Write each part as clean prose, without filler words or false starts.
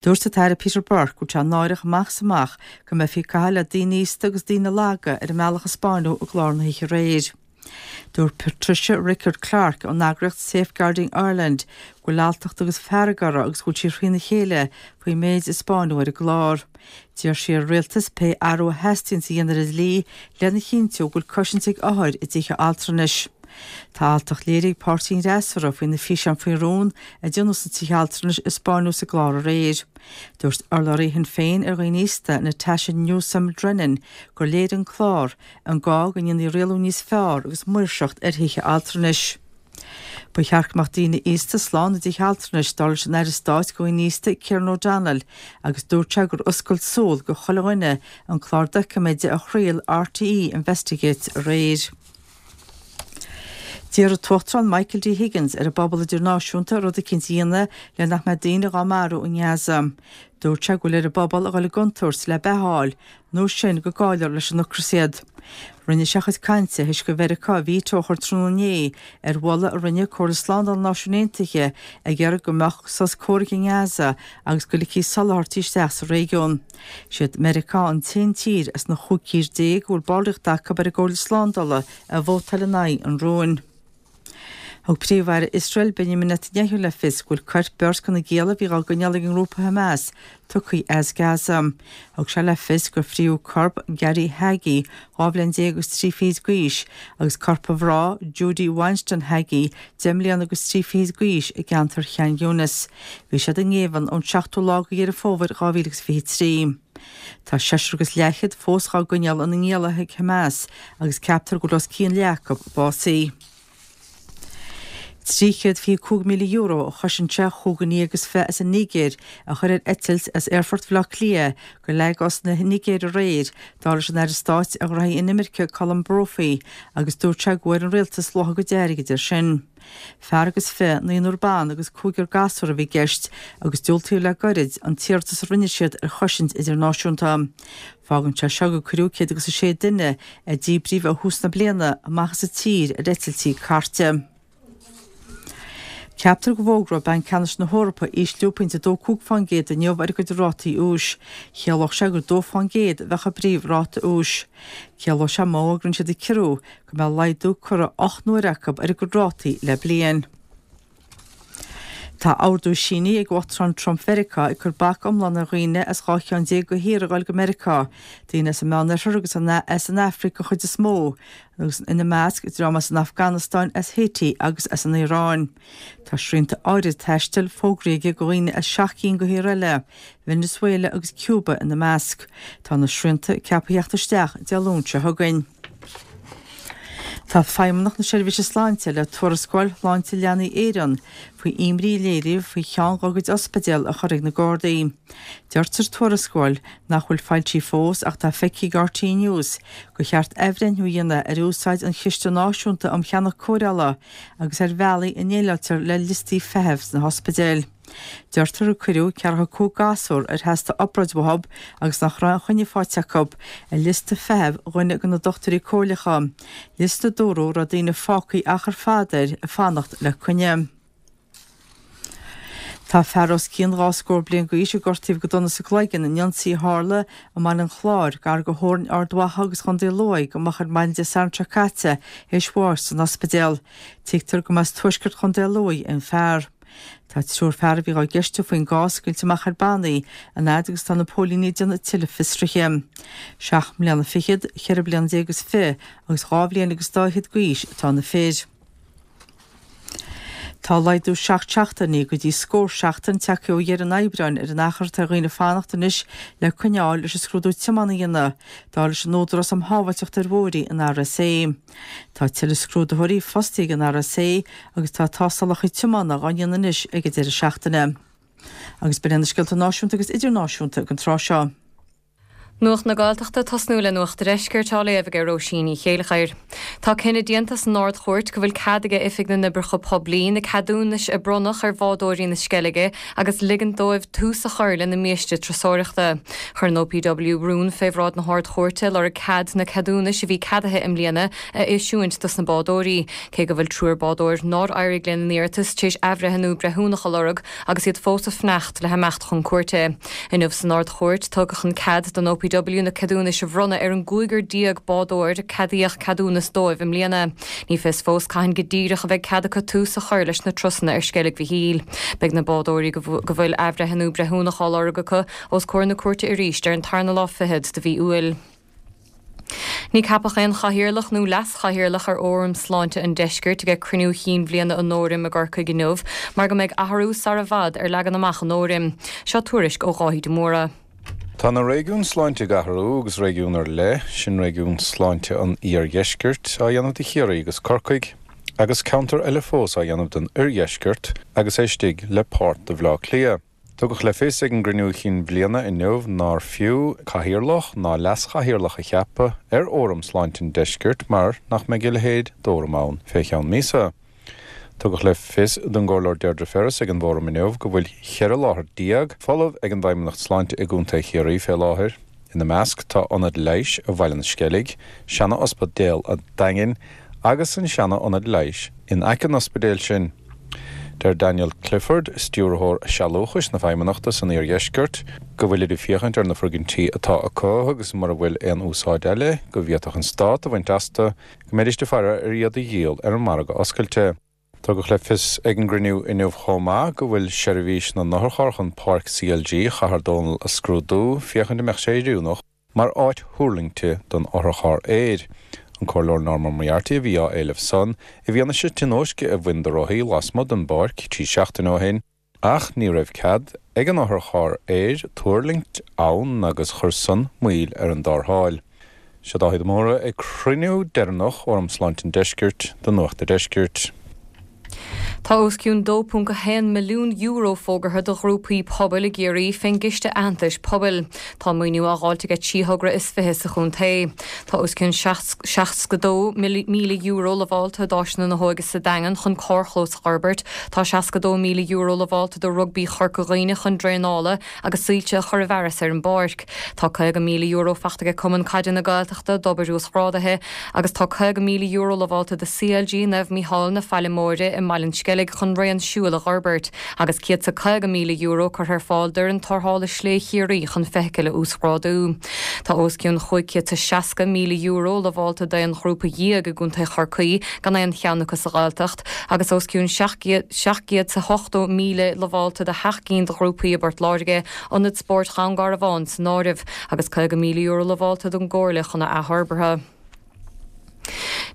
Dúirt an tAire Peter Burke go bhfuil sé náireach amach is amach go mbeifí ag caitheamh le daoine aosta agus daoine laga ar an mbealach a 'spáineadh i gclár na hoíche aréir. Dúirt Patricia Rickard-Clarke ón eagraíocht Safeguarding Ireland go bhfuil alltacht agus fearg orthu agus go bhfuil sí thrína chéile faoin méid a 'spáineadh ar an gclár. D'iarr sí ar an Rialtas pé athrú a theastaíonns a dhéanamh ar an dlí lena chinntiú go bhfuil cosaint ag othair i dtithe altranais. Tá alltacht léirithe ag páirtí an fhreasúra faoi na físeáin faoi rún a déanadh sna tithe altranais a 'spáineadh sa gclár aréir. Dúirt urlabhraí Shinn Féin ar dhaoine aosta, Natasha Newsome Drennan, gur léirigh an clár an gá go ndéanfaí rialú níos fearr agus maoirseacht ar thithe altranais. Ba cheart go mbeadh daoine aosta slán i dtithe altranais, dar leis an Aire Stáit do Dhaoine Aosta, Kieran O'Donnell, agus dúirt sé gur oscailt súl do chuile dhuine an clár doiciméide a chraol RTÉ Investigates aréir. D'iarr an tUachtarán Michael D. Higgins ar an bpobal idirnáisiúnta rud eicínt a dhéanamh le nach mbeidh daoine dhá marú i nGaza. Dúirt sé go bhfuil ar an bpobal a dhul i gcontúirt le beatha a fháil, nó sin go gcaillfear leis an ocras iad. Rinne sé a chuid cainte théis do Mheiriceá veto a chur tráthnóna inné ar mholadh a rinne Comhairle Slándála na Náisiún Aontaithe ag iarraidh go mbeadh sos comhraic i nGaza agus go ligfí soláthairtí isteach sa réigiún. Siad Meiriceá an t-aon tír as na 15 tír a bhfuil ballraíocht acu ar an gComhairle Slándála a vótáil in aghaidh an rúin. Thug Príomh-Aire Iosrael Benjamin Netanyahu le fios go bhfuil coirp beirt de na gialla a bhí á gcoinneáil ag an ngrúpa Hamas tugtha as Gaza. Thug sé le fios gur fríodh corp Gadi Hagi, 12 bhliain agus 3 fichid d'aois, agus corp a mhná, Judy Weinstein Hagi, 10 mbliana agus 3 fichid d'aois, i gceantar Khan Younis. Bhí siad i ngéibheann ón 7ú lá de Dheireadh Fómhair 2023. Tá seisear agus leathchéad fós dhá gcoinneáil ina ngialla ag Hamas agus ceaptar go bhfuil os cionn leath acu básaithe. €325,000 a chosain sé chúig dhuine dhéag is fiche as an Nigéir a chur ar eitilt as Aerfort Bhaile Átha Cliath go Lagos na Nigéire aréir, dar leis an Aire Stáit ar Ghnóthaí Inimirce Colm Brophy, agus dúirt sé go bhfuair an Rialtas luach a gcuid airgid air sin. Fear agus fiche, naonúr ban agus cúigear gasúr a bhí i gceist agus diúltaíodh le gairid an t-iarratas a rinne siad ar chosaint idirnáisiúnta. Fágann sé seo gur cuireadh 100 agus 6 duine a díbríodh ó thús na bliana amach as an tír ar eitiltí cairte. Ceaptar go bhfógróidh Banc Ceannais na hEorpa ísliú pointe 2.5% inniu ar a gcuid rátaí úis. Chiallódh sé gur 2% a bheadh i bpríomhráta úis. Ciallóidh sé má fhógraíonn siad an ciorrú go mbeidh laghdú curtha 8 n-uaire acu ar a gcuid rátaí le bliain. Tá ordú sínithe ag Uachtarán Trump Mheiriceá ag cur bac iomlán ar dhaoine as 12 cheann de thíortha a ghoil go Meiriceá, daoine as an Meánoirthear agus as an Afraic den chuid is mó, agus ina measc, dream as an Afganastáin, as Haiti agus as an Iaráin. Tá srianta áirid taistil fógraithe aige do dhaoine as 7 gcinn de thíortha eile, Venezuela agus Cuba ina measc. Tá na srianta ceaptha theacht isteach Dé Luain seo chugainn. Tá Feidhmeannacht na Seirbhíse Sláinte le tuarascáil Shláinte Leanaí Éireann faoi imní a léiríodh faoi cheann dá gcuid ospidéal a chur ag na Gardaí. Deirtear sa tuarascáil, nach bhfuil foilsithe fós ach atá feicthe ag RTÉ News, gur cheart athbhreithniú a dhéanamh ar úsáid an Chiste Náisiúnta um Cheannach Cóireála agus ar bhealaí a ndéileáiltear le liostaí feithimh sna hospidéil. Deirtear gur cuireadh 45 gasúr ar theastaigh obráid uathu agus nach raibh aon choinne faighte acu, ar liosta feithimh dhuine de na dochtúirí comhairleacha, liosta a dúradh a raibh daoine fágtha achar fada air ag fanacht le coinne. Tá fear os cionn dhá scór bliain d'aois a gortaíodh go dona sa gcloigeann in ionsaí a tharla i mBaile an Chláir, gar do theorainn Ard Mhacha agus Chontae Lú, go moch ar maidin Dé Sathairn seo caite, théis bháis san ospidéal. Tuigtear go mba as tuaisceart Chontae Lú an fear. Tá triúr fear a bhí á gceistiú faoin gcás scaoilte amach ar bannaí, an fhaid agus atá na póilíní ag déanamh tuilleadh fiosraithe. Seacht mbliana fichead, cheithre bliana déag is fiche agus dhá bhliain agus dá fhichead d'aois atá na fir. Tá laghdú 7 seachtainí go dtí scór seachtain tagtha ó dheireadh an Aibreáin ar an achar atá ar dhaoine fanacht anois le coinne a fháil leis an scrúdú tiomána a dhéanamh, dar leis an Údarás um Shábháilteacht ar Bhóithre, an RSA. Tá tuilleadh scrúdaitheoirí fostaithe ag an RSA agus tá tástálacha tiomána á ndéanamh anois ag an deireadh seachtaine. Agus b'in iad na scéalta náisiúnta agus idirnáisiúnta don tráth seo. Nuacht na Gaeltachta, Tosnú le Nuacht a' Deiscirt á léamh aige Róisín Ní Chéilleachair. Tá cinneadh déanta san Ard-Chúirt go bhfuil cead aige Oifig na nOibreacha Poiblí na ceadúnais a bronnadh ar bhádóirí na Sceilge agus ligint dóibh tús a chur lena mbiaiste turasóireachta. Chuir an OPW rún fé bhráid na hArd-Chúirte ag lorg cead na ceadúnais a bhí ceadaithe i mbliana a eisiúint dos na bádóirí, cé go bhfuil triúr bádóir nár éirigh lena n-iarratas tar éis athbhreithniú breithiúnach a lorg agus iad fós ag fanacht le himeacht chun cúirte. Inniu san Ard-Chúirt, tugadh an cead don OPW na ceadúnais a bhronnadh ar an gcúigear bádóir a ceadaíodh ceadúnas dóibh i mbliana. Ní fios fós cathain go díreach a bheidh cead acu tús a chur leis na turasanna ar Sceilg Mhichíl. Beidh na bádóirí go bhfuil athbhreithniú breithiúnach á lorg acu os comhair na cúirte arís ar an tarna lá fichead de mhí Iúil. Ní ceapadh aon chathaoirleach nó leas-chathaoirleach ar Fhóram Sláinte an Deiscirt ag cruinniú chinn bhliana an fhóraim i gCorcaigh inniu mar go mbeidh athrú sara bhfad ar leagan amach an fhóraim. Seo tuairisc ó Dháithí de Mórdha. Tá na réigiúin sláinte ag athrú agus réigiún ar leith, sin réigiún sláinte an iardheiscirt, á dhéanamh de Chiarraí agus Corcaigh, agus ceantar eile fós á dhéanamh den oirdheisceart agus é istigh le páirt de Bhleá Cliath. Tugadh le fios ag an gcruinniú chinn bhliana inniu nár fiú cathaoirleach ná leas-chathaoirleach a cheapadh ar Fhóram Sláinte an Deiscirt mar nach mbeidh a leithéid d'fhóram ann fé cheann míosa. Tugadh le fios don gComhairleoir Deirdre Ferris ag an bhfóram inniu go bhfuil 14 láthair folamh ag an bhFeidhmeannacht Sláinte i gContae Chiarraí fé láthair. Ina measc tá ionad leighis Bhaile na Sceilge, seana-ospidéal an Daingin agus an seana-ionad leighis in aice an ospidéil sin. Deir Daniel Clifford, Stiúrthóir Sealúchais na Feidhmeannachta san Iardheisceart, go bhfuilid ag féachaint ar na foirgintí atá acu agus mura bhfuil aon úsáid eile go bhféadfadh an Stát a bhaint astu, go mbeidís ag faire ar iad a dhíol ar an margadh oscailte. Tugadh le fios ag an gcruinniú inniu chomh maith go bhfuil seirbhís na n-otharcharr chun Páirc CLG Chathair Dónall a scrúdú féachaint an mbeadh sé oiriúnach mar áit thuirlingte don otharcharr aeir. An Comhairleoir Norma Moriarty a bhí á éileamh san, i bhfianaise tionóisce a bhain do rothaí lasmuigh den bpáirc 3 seachtaine ó shin, ach ní raibh cead ag an otharcharr aeir tuirlingt ann agus chuir san moill ar an dtarrtháil. Seo Dáithí de Mórdha ag cruinniú deireanach Fhóram Sláinte an Deiscirt do Nuacht a' Deiscirt. Tá os cionn €2.1 milliún fógartha do ghrúpaí pobail i gCiarraí fén gCiste Aitheantais Pobail. Tá an maoiniú á dháilt aige 3 thogra is 20 sa chontae. Tá os cionn €62,000 lamhálta d'Áiseanna na hÓige sa Daingean chun carrchlós a fhorbairt. Tá €62,000 lamhálta do Rugbaí Chorca Dhuibhne chun draenála agus soilse a chur i bhfearas ar an bpáirc. Tá €50,000 fachta aige Cumann Caide na Gaeltachta d'obair uasghrádaithe agus tá €50,000 lamhálta do CLG Naomh Mícheál na Faille Móire i mBaile an Sceilg chun raon siúil a dh'fhorbairt agus €150,000 curtha ar fáil d'fhoireann tarrthála Slé Chiarraí chun feithicil a uasghrádú. Tá os cionn €560,000 lamhálta d'aon ghrúpa dhéag i gContae Chorcaí, gan aon cheann acu sa Ghaeltacht, agus os cionn €780,000 lamhálta do sheacht gcinn de ghrúpaí i bPort Láirge, Ionad Spóirt Dhún Garbhán san áireamh, agus €50,000 lamhálta don gComhairle chun a athfhorbartha.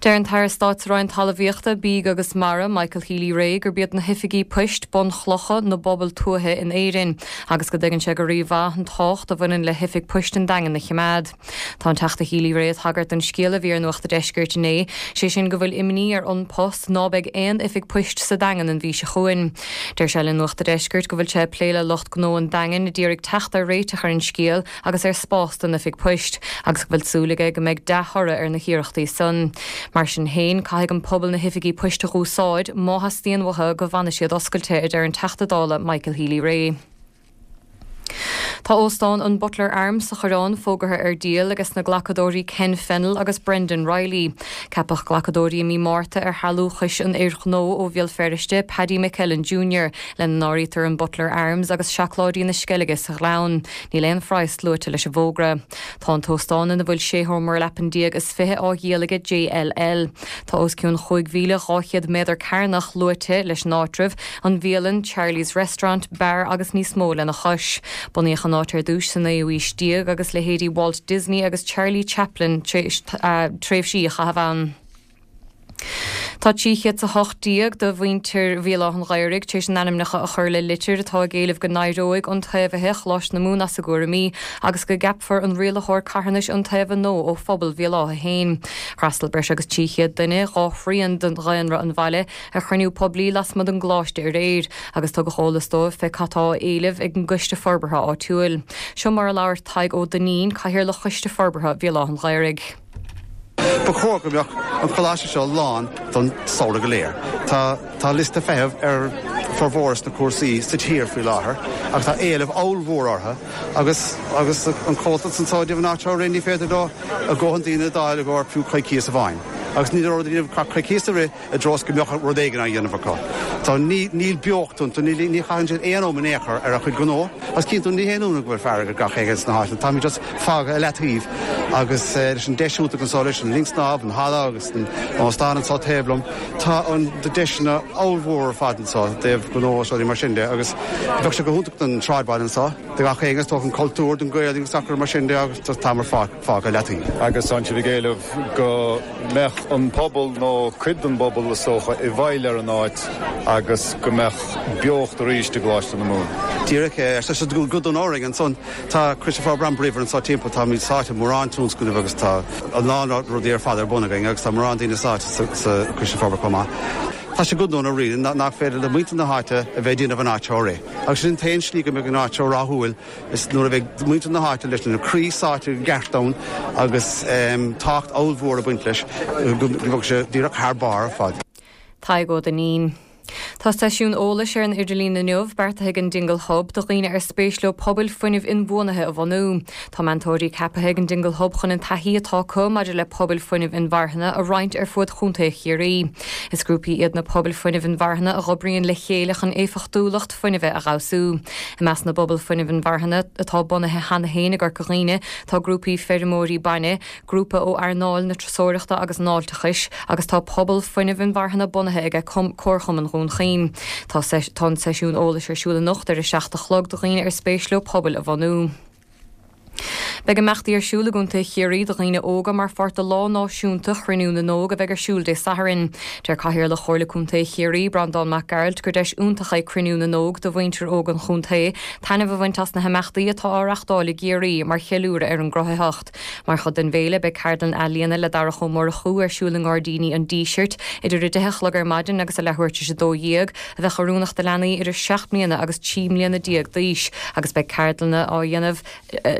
Deir an tAire Stáit sa Roinn Talmhaíochta, Bídh agus Mara, Michael Healy-Rae, gurb iad na hoifigí poist bunchlocha na bpobal tuaithe in Éirinn agus go dtuigeann sé go rímhaith an tábhacht a bhaineann le hoifig poist an Daingin a choimeád. Tá an Teachta Healy-Rae ag tagairt don scéal a bhí ar Nuacht a' Deiscirt inné, sé sin go bhfuil imní ar An Post ná beidh aon oifig poist sa Daingean an mhí seo chugainn. Deir sé le Nuacht a' Deiscirt go bhfuil sé ag plé le lucht gnó an Daingin a d'iarraidh teacht ar réiteach ar an scéal agus ar spás don oifig poist, agus go bhfuil súil aige go mbeidh dea-thoradh ar na hiarrachtaí san. Mar sin féin, caithfidh an pobal na hoifigí poist a dh'úsáid má theastaíonn uathu go bhfanfaidh siad oscailte, a deir an Teachta Dála Michael Healy-Rae. Tá Óstán an Butler Arms sa Choireán fógartha ar díol ages na glacadóirí Ken Fennell agus Brendan Reilly. Ceapadh glacadóirí i mí Márta ar shealúchais an fhir ghnó ó Bhéal Feirste, Paddy McEllen Junior, lena n-áirítear an Butler Arms agus Seacláidí na Sceilge sa Ghleann. Níl aon phraghas luaite leis an bhfógra. Tá an t-óstán ina bhfuil 16 sheomra leapan is 20 á dhíol aige JLL. Tá os cionn 5,200 méadar cearnach luaite leis an áitreabh, an bhialann, Charlie's Restaurant, beár agus níos mó lena chois. Bunaíodh an áit ar dtús sa naoú aois déag agus leithéidí Walt Disney agus Charlie Chaplin tar éis tréimhsí a chaitheamh ann. Tá 318 de mhuintir Bhéal Átha an Ghaorthaidh tar éis a n-ainmneacha a chur le litir atá ag éileamh go n-éireoidh iontaobhaithe Choláiste na Mumhan as a gcúraimí agus go gceapfar an rialaitheoir carthanais iontaofa nua ó phobal Bhéal Átha féin. Fhreastail breis agus 300 duine, 2 thrian de dhaonra an bhaile, ar chruinniú poiblí lasmuigh den gcoláiste aréir agus tugadh eolas dóibh fé cad tá á éileamh ag an gcoiste forbartha áitiúil. Seo mar a labhair Tadhg Ó Duinnín, Cathaoirleach Choiste Forbartha Bhéal Átha an Ghaorthaidh. Ba chóir go mbeadh an coláiste seo lán don samhradh go léir. Tá tá liosta feithimh ar formhór na cúrsaí sa tír faoi láthair agus tá éileamh ollmhór orthu agus agus an comhaltas anseo ag an áit seo ní féidir leo a ndóthain daoine a d'fháil i gcomhair fiú coicíos amháin agus ní raibh daoine ach coicíos a rith i dtreo is go mbeadh rud éigin á dhéanamh acu. Tá, ní, níl beocht iontu, ní, ní chaitheann siad aon am in aon chor ar a chuid gnó. Agus cinnte, ní haon ionadh go bhfuil fearg ar gach éinne sna háiteanna. Táimid just fágtha i leataobh agus leis an deis iontach anseo leis an linn snámh, an halla agus an óstán anseo taobh liom, tá an deiseanna ollmhór ar fad anseo i dtaobh gnó is rudaí mar sin de agus bheadh sé go hiontach don sráidbhaile anseo, do gach éinne, is dócha, an cultúr, don Ghaeilge agus gach rud mar sin de agus just táimid fágtha i leataobh. Agus tá sibh ag éileamh go. mbeadh an pobal, nó cuid den bpobal is dócha, i bhfeighil ar an áit agus go mbeadh beocht arís i gColáiste na Mumhan. Díreach é. Tá sé go dona orainn ansan. Tá Coiste Forbartha an-bríomhar anseo timpeall. Táimid sáite i mórán tionscnamh agus tá a lán rudaí ar fad ar bun againn agus tá mórán daoine sáite sa Choiste Forbartha chomh maith. Tá sé go dona really nach féidir le muintir na háite a bheith ag déanamh an áit seo a rith. Agus sin an t-aon slí go mbeidh an áit seo rathúil. Is nuair a bheidh muintir na háite leis na croí sáite i gceart ann agus tábhacht ollmhór ag baint leis go mbeadh sé díreach thar barr ar fad. Tadhg Ó Duinnín. Tá seisiún eolais ar an idirlíon inniu beartaithe ag an Dingle Hub do dhaoine ar spéis leo pobail fuinnimh inbhuanaithe a bhunú. Tá meantóirí ceaptha ag an Dingle Hub chun an taithí atá acu maidir le pobail fuinnimh inmharthana a roinnt ar fuaid Chontae Chiarraí. Is grúpaí iad na pobail fuinnimh inmharthana a dh'oibríonn le chéile chun éifeachtúlacht fuinnimhe a fheabhsú. I measc na bpobal fuinnimh inmharthana atá bunaithe cheana féin i gCorca Dhuibhne tá grúpaí feirmeoirí bainne, grúpa ó earnáil na turasóireachta agus an fháilteachais agus tá pobal fuinnimh inmharthana bunaithe aige Comharchumann Dhún Chaoin. Tá an seisiún eolais ar siúl anocht ar a 7 a chlog do dhaoine ar spéis leo pobail a bhunú. Beidh imeachtaí ar siúl i gContae Chiarraí do dhaoine óga mar pháirt de Lá Náisiúnta Chruinniú na nÓg a bheidh ar siúl Dé Sathairn. Deir Cathaoirleach Chomhairle Contae Chiarraí, Breandán Mac Gearailt, gur deis iontach é Cruinniú na nÓg do mhuintir óg an chontae taitneamh a bhaint as na himeachtaí atá á reachtáil i gCiarraí mar cheiliúradh ar an gcruthaitheacht. Mar chuid den bhféile beidh ceardlann ealaíona le Darach Ó Murchú ar siúl i nGairdíní an Dísirt idir 10 a chlog ar maidin agus a leathuair tar éis 12, a bheadh oiriúnach do leanaí idir 7 mbliana agus 13 mbliana d'aois agus beidh ceardlanna á dhéanamh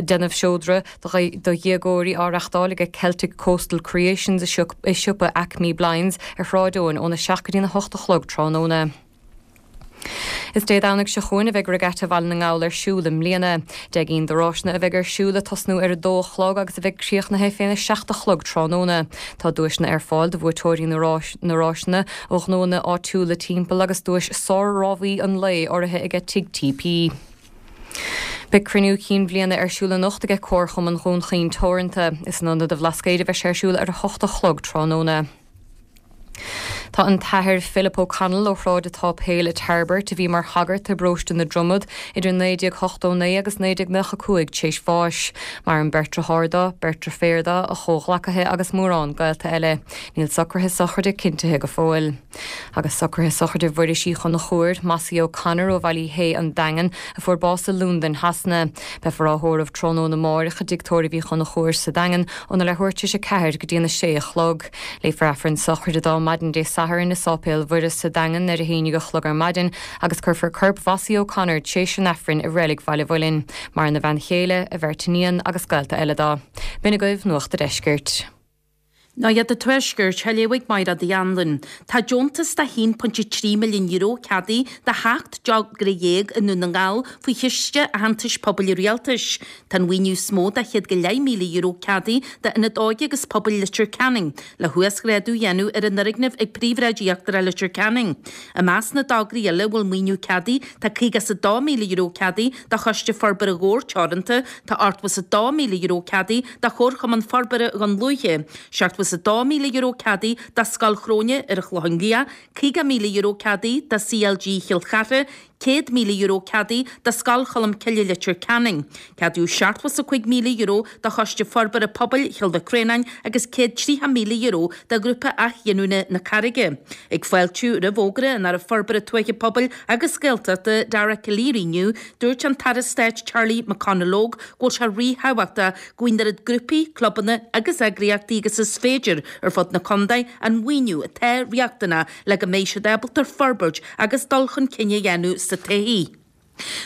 déanamh seodra do dhéagóirí á reachtáil ag Celtic Coastal Creations i siopa Acme Blinds ar Shráid Eoin óna 7 go dtína 8 a chlog tráthnóna. Is Dé Domhnaigh seo chugainn a bheidh Regatta Bhaile na nGall ar siúl i mbliana. 10 gcinn de ráiseanna a bheidh ar siúl ag tosnú ar a dó a chlog agus a bheidh críochnaithe féna seacht a chlog tráthnóna. Tá duaiseanna ar fáil do bhuaiteoirí na ráiseanna ó ghnóanna áitiúla timpeall agus duais sár-rámhaí an lae urraithe aige Tigh TP. Beidh cruinniú cinn bhliana ar siúl anocht aige Comharchumann Dhún Chaoin Teoranta. Is in Ionad an Bhlascaoid a bheidh sé ar siúl ar a hocht a chlog tráthnóna. Tá an tAthair Philip O'Connell ó Shráid an tSáipéil i Tairbeart, a bhí mar shagart i bparóiste na Dromad idir 1989 agus 1995 t'éis bháis. Maireann beirt deartháir dó, beirt deirféar dó, a chomhghleacaithe agus mórán gaolta eile. Níl socruithe sochraide cinntithe go fóill. Agus socruithe sochraide Mhuiris Uí Chonchúir, Mossie O'Connor ó Bhaile Uí Shé, An Daingean, a fuair bás i Londain, Shasana. Beifear á thórramh tráthnóna amáireach i dTigh Tórraimh Uí Chonchúir sa Daingean óna leathuair tar éis 4 go dtí an 6 a chlog. Léifear Aifreann sochraide dó maidin Dé Sathairn i Sáipéal Mhuire sa Daingean ar a haon déag a chlog ar maidin agus cuirfear corp Mhossie O'Connor tréis an Aifrinn i Reilig Bhaile Mhuilinn. Maireann a bhean chéile, a bheirt iníon agus gaolta eile dó. B'in agaibh Nuacht a' Deiscirt. Nuacht an Tuaiscirt, á léamh ag Mairéad Uí Anluain. Tá deontas de €1.3 milliún ceadaithe do sheacht dtogra dhéag i nDún na nGall faoi Chiste Aitheantais Pobail an Rialtais. Tá an mhaoiniú is mó de €100,000 ceadaithe d'Ionad Óige agus Pobail Leitir Ceanainn le huasghrádú a dhéanamh ar an fhoirgneamh ag Príomhshráid Íochtarach Leitir Ceanainn. I measc na dtograí eile a bhfuil maoiniú ceadaithe tá €52,000 ceadaithe do Choiste Forbartha Dhobhair Teoranta, tá €82,000 ceadaithe do Chomharchumann Forbartha Dhún Lúiche, €72,000 ceadaithe do Scoil Chróine ar an Chlochán Liath, €50,000 ceadaithe do CLG Chill Chartha, €100,000 ceadaithe do Scoil Cholmcille Leitir Ceanainn. Ceadaíodh €75,000 do Choiste Forbartha Pobail Chill Mhic Réanáin agus €130,000 do Ghrúpa Athghiniúna na Carraige. Ag fáiltiú roimh fhógra an Aire Forbartha Tuaithe Pobail agus Gaeltachta, Dara Calleary inniu, dúirt an tAire Stáit Charlie McConalogue go bhfuil sé ríthábhachtach go bhfaighidh an oiread grúpaí, clubanna agus eagraíochtaí agus is féidir ar fud na contae an maoiniú atá riachtanach le go mbeidh siad ábalta forbairt agus dul chun cinn a dhéanamh sa todhchaí.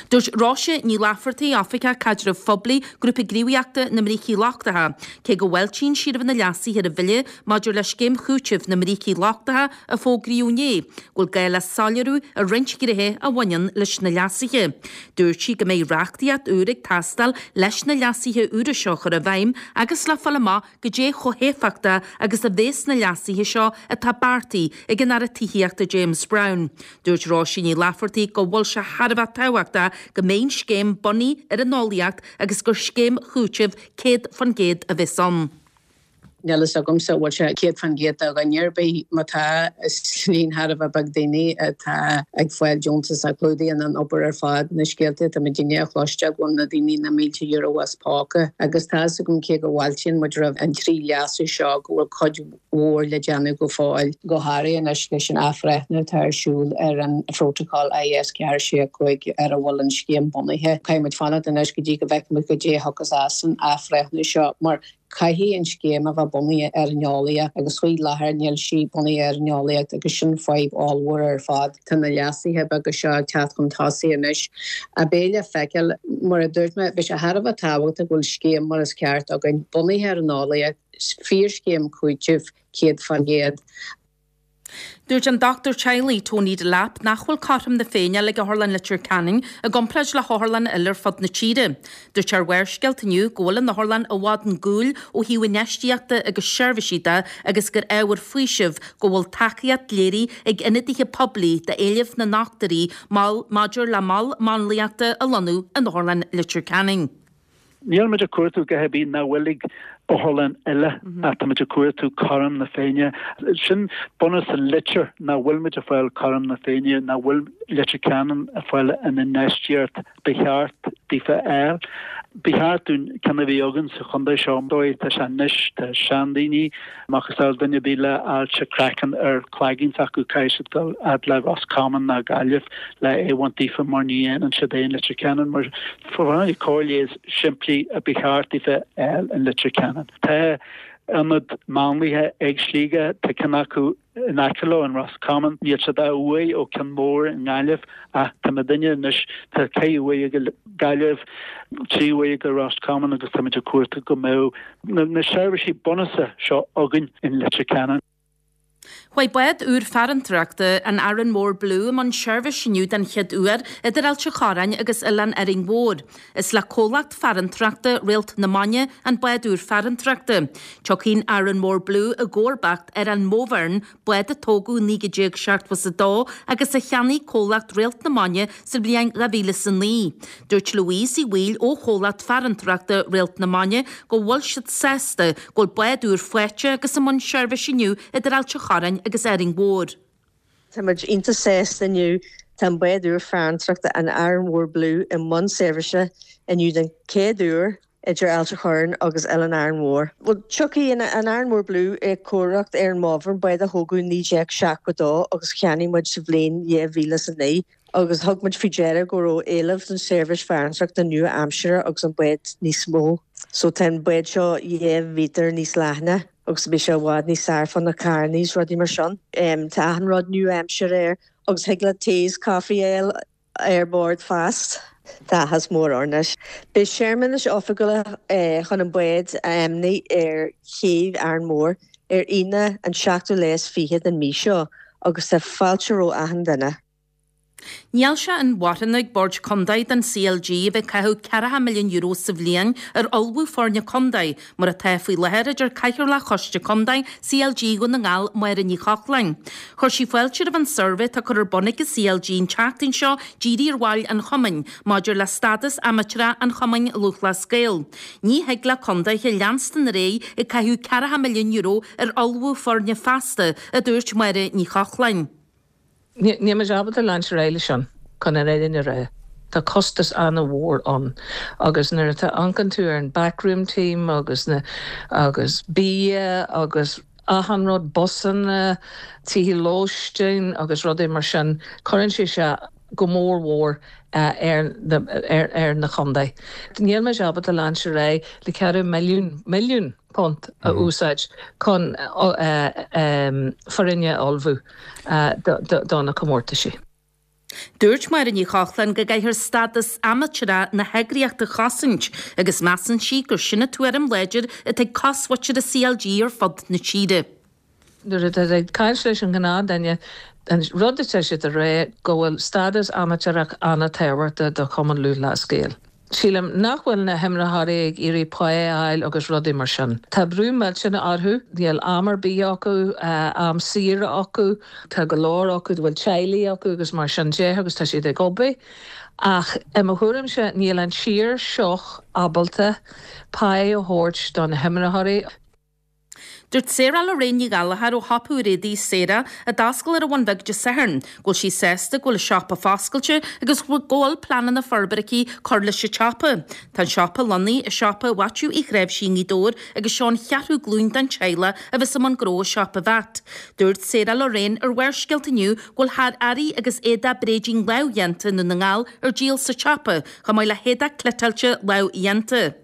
Dúirt Róise Ní Laifeartaigh, Oifigeach Caidrimh Phoiblí, Grúpa Gníomhaíochta na mBrící Lochtacha, cé go bhfáiltíonn sí roimh na leasuithe ar an bhille maidir le Scéim Chúitimh na mBrící Lochtacha a fógraíodh inné, go bhfuil gá le soiléiriú ar roinnt gnéithe a bhaineann leis na leasuithe. Dúirt sí go mbeidh reachtaíocht úr ag teastáil leis na leasuithe úra seo a chur i bhfeidhm agus le fáil amach goidé chomh héifeachtach agus a bhéas na leasuithe seo atá beartaithe ag an Aire Tithíochta James Browne. Dúirt Róise Ní Laifeartaigh go bhfuil sé thar a bheith tábhachtach go mbeidh an scéim bunaithe ar an eolaíocht agus gur scéim chúitimh 100% a bheas ann. Níl fhios agamsa an bhfuil sé 100% do dhuine ar bith. Má tá, is líon thar a bheith beag daoine atá ag fáil deontas a chlúdaíonn an obair ar fad. Na scéalta atá muidinne a chloisteáil go bhfuil na daoine na mílte euro as póca agus tá fhios agam cé go bhfáiltíonn muid roimh an dtrí leasú seo go bhfuil cuid mhór le déanamh go fóill, go háirithe anois leis an athbhreithniú atá ar siúl ar an Phrótacal IS 4 6 5 ar a bhfuil an scéim bunaithe. Caithfidh muid fanacht anois go dtí go bhfeicfidh muid goidé a thiocfas as an athbhreithniú seo mar Caithfidh an scéim a bheith bunaithe ar an eolaíocht agus faoi láthair níl sí bunaithe ar an eolaíocht agus sin fadhb ollmhór ar fad. Tá na leasuithe beaga seo ag teacht chun tosaigh anois a beidh le feiceáil. Mar a dúirt mé, beidh sé thar a bheith tábhachtach go bhfuil scéim mar is ceart againn, bunaithe ar an eolaíocht, fíorscéim cúitimh 100%. Dúirt an dochtúir teaghlaigh Tony Delap nach bhfuil cothrom na Féinne ag Otharlann Leitir Ceanainn i gcomparáid le hotharlanna eile ar fud na tíre. Dúirt sé ar Bharrscéalta inniu go bhfuil an otharlann i bhfad chun cúil ó thaobh infheistíochta agus seirbhísí de agus gur ábhar faoisimh go bhfuil tacaíocht léirithe ag ionadaithe poiblí d'éileamh na ndochtúirí maidir le mol máinliachta a lonnú in Otharlann Leitir Ceanainn. Níl muid ag cuartú a dhath ar bith nach bhfuil ag otharlann eile ach tá muid ag cuartú cothrom na Féinne. Sin bunús an litir, nach bhfuil muid ag fáil cothrom na Féinne, nach bhfuil Leitir Ceanainn ag fáil an infheistíocht ba cheart daofa a fháil. Ba cheart dúinn ceann a bheith againn sa chontae seo. Dóigh atá sé anois, tá seandaoine, macasamhail duine ar bith le ailse craicinn ar cloigeann s'acu, caithfidh siad dul fhad le Ros Comáin ná Gaillimh le é a bhaint daofa mar ní dhéanann siad é in Leitir Ceanainn. Mar cóir leighis simplí a ba cheart daofa a fháil in Leitir Ceanainn. Tá ionad máinlia ag Sligeach, tá ceann acu in aice leo in Ros Comáin, níl siad a dhath uaidh ó ceann mór i nGaillimh ach tá muidinne anois, tá ceithre uaigh ag Gaillimh, trí uaigh ag Ros Comáin agus táimid ag cuartú go mbeadh na seirbhísí bunúsacha seo againn in Leitir Ceanainn. Chuaigh bád úr farantóireachta, an Arranmore Blue, i mbun seirbhís inniu den chéad uair idir Ailt an Chorráin agus Oileán Árainn Mhór. Is le comhlacht farantóireachta Réalt na Maine an bád úr farantóireachta. Tiocfaidh an Arranmore Blue i gcomharbacht ar an Mobhairn, bád a tógadh i 1972 agus a cheannaigh comhlacht Réalt na Maine sa bhliain 2009. Dúirt Louise Uí Bhaoill ó chomhlacht farantóireachta Réalt na Maine go bhfuil siad sásta go bhfuil bád úr faighte agus i mbun seirbhís inniu idir Ailt an Chorráin agus Árainn Mhór. Tá muid iontach sásta inniu. Tá an bád úr farantóireachta an Arranmore Blue i mbun seirbhíse inniu den chéad uair idir Ailt an Chorráin agus Oileán Árainn Mhór. Bhuel, tiocfaidh an Arranmore Blue i gcomharbacht ar an Mobhairn, bád a thógadh i 1972 agus cheannaigh muid sa bhliain 2009 agus thug muid faoi deara go raibh éileamh don seirbhís farantóireachta nua-aimseartha agus an bád níos mó. So tá an bád seo 2 mhíotar níos leathna agus beidh sé i bhfad níos fearr fá na carrannaí is rudaí mar sin. Tá achan rud nua-aimseartha air agus thig leat tae is caife a fháil ar bord feasta. Tá áthas mór orainn anois. Beidh searmanas oifigiúla chun an bád a ainmniú ar chéibh Árainn Mhór ar Aoine an seachtú lá is fiche den mí seo agus tá fáilte roimh achan duine. Níl sé inmharthana ag Bord Contae don CLG a bheith ag caitheamh €40 milliún sa bhliain ar ullmhú foirne contae, mar atá faoi láthair, a deir Cathaoirleach Choiste Contae CLG Dhún na nGall, Máire Ní Chochláin. Chuir sí fáilte roimh an suirbhé atá curtha ar bun ag an CLG an tseachtain seo dírithe ar bhaill an chumainn maidir le stádas amaitéarach an Chumainn Lúthchleas Gael. Ní thig le contaetha leanstan ar aghaidh ag caitheamh €40 milliún ar ullmhú foirne feasta, a dúirt Máire Ní Chochláin. Níl muid ábalta leanúint ar aghaidh leis sin. Chun an fhírinne a rá, tá costas an-mhór ann agus nuair atá amharcann tú ar an backroom team agus na agus bia agus achan rud, busanna, tithe lóistín agus rudaí mar sin, cuireann sé sé go mór mhór ar na ar na chontae. Níl muid ábalta leanúint ar aghaidh le ceathrú milliún, milliún punt a úsáid chun foirne a ullmhú do na comórtaisí. Dúirt Máire Ní Chochláin go gcaithfear stádas amaitéarach na heagraíochta a chosaint agus measann sí gur sin an tuairim láidir atá ag cosmhuintir an CLG ar fud na tíre. Nuair atá tú ag caint leis an ghnáthduine, an rud atá siad a rá go bhfuil stádas amaitéarach an-tábhachtach do Chumann Lúthchleas Gael. Sílim nach bhfuil na himreoirí ag iarraidh pá a fháil agus rudaí mar sin. Tá brú millteanach orthu, níl am ar bith acu, am saoire acu, tá go leor acu a bhfuil teaghlaigh acu agus mar sin de agus tá siad ag obair. Ach i mo thuairimse níl an tír seo ábalta pá a thabhairt do na himreoirí. Dúirt Sarah Lorraine Ní Ghallchóir ó shiopa úr éadaí Sarah, a d'oscail ar an Bhun Bheag Dé Sathairn, go bhfuil sí sásta go bhfuil an siopa foscailte agus go bhfuil pleananna forbartha aici cur leis an tsiopa. Tá an siopa lonnaithe i siopa Mhaitiú Uí Chnáimhsí i nGaoth Dobhair agus seo an cheathrú glúin den teaghlach a bheas i mbun gnó i siopa Mhatt. Dúirt Sarah Lorraine ar Bharrscéalta inniu go bhfuil thar earraí agus éadach bréidín lámhdhéanta i nDún na nGall ar díol sa tsiopa, chomh maith le héadach cniotáilte lámhdhéanta.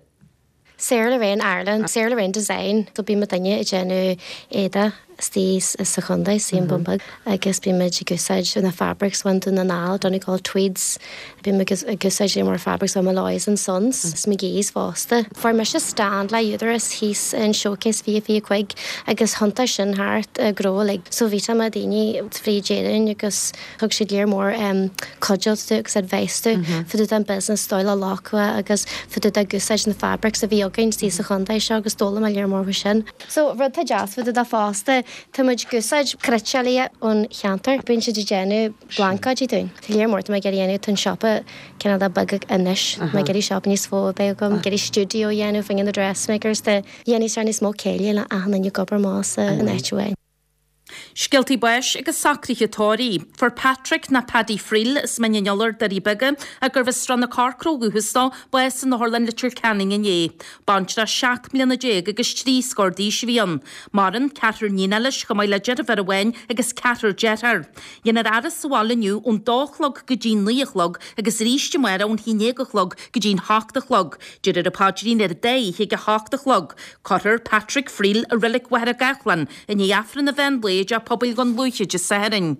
Sarah Lorraine Ireland, Sarah Lorraine Design, so bíonn muidinne ag déanamh éadaí istigh sa chontae, sa Bhun Beag, agus bíonn muid ag úsáid na fabrics ón Dún na nGall, Donegal Tweeds, bíonn muid ag úsáid lear mór fabrics ó Molloy's and Sons, is McGee's fosta. Fuair mise stand le Údarás thíos in Showcase 2025 agus thiontaigh sin thart gnó uilig. So bhí tá daoine fríd Éirinn agus Thug siad lear mór cuidiú dúinn agus advice dúinn fá dtaobh den business dóigh le locadh agus fá dtaobh de úsáid na fabrics a bhí againn istigh sa chontae seo agus d'fhoghlaim mé lear mór faoi sin. So rud atá deas fá dtaobh de fosta, tá muid ag úsáid cniotálaithe ón cheantar, bíonn siad ag déanamh blaincéidí dúinn. Tá lear mór atá mé ag iarraidh dhéanamh, tá an siopa cineál de beag anois, tá mé ag iarraidh siopa níos mó a bheith agam, ag iarraidh stiúideo a dhéanamh, fá choinne na dressmakers de dhéanfaidh sé níos mó céille le achan duine ag obair amach san áit amháin. Scéaltaí báis agus socruithe tórraimh. Fuair Patrick nó Paddy Friel as Mín an Iolair, Doirí Beaga, ach gurbh as Srath na Corcra ó dhúchas dó, bás in Otharlann Leitir Ceanainn inné. Baintreach 17 mbliana agus 3 scór d'aois a bhí ann. Maireann ceathrar níonacha leis chomh maith le deirfiúr amháin agus ceathrar dearthár. Dhéanfar a fhaire sa bhaile inniu ón dó a chlog go dtí'n 9 a chlog agus arís amárach ón haon déag a chlog go dtí'n hocht a chlog. Déarfar an paidrín ar an dá oíche ag a hocht a chlog. Cuirfear Patrick Friel i Reilig Mhachaire Gathlán i ndiaidh Aifreann an mheán lae i dTeach Pobail Dhún Lúiche Dé Sathairn.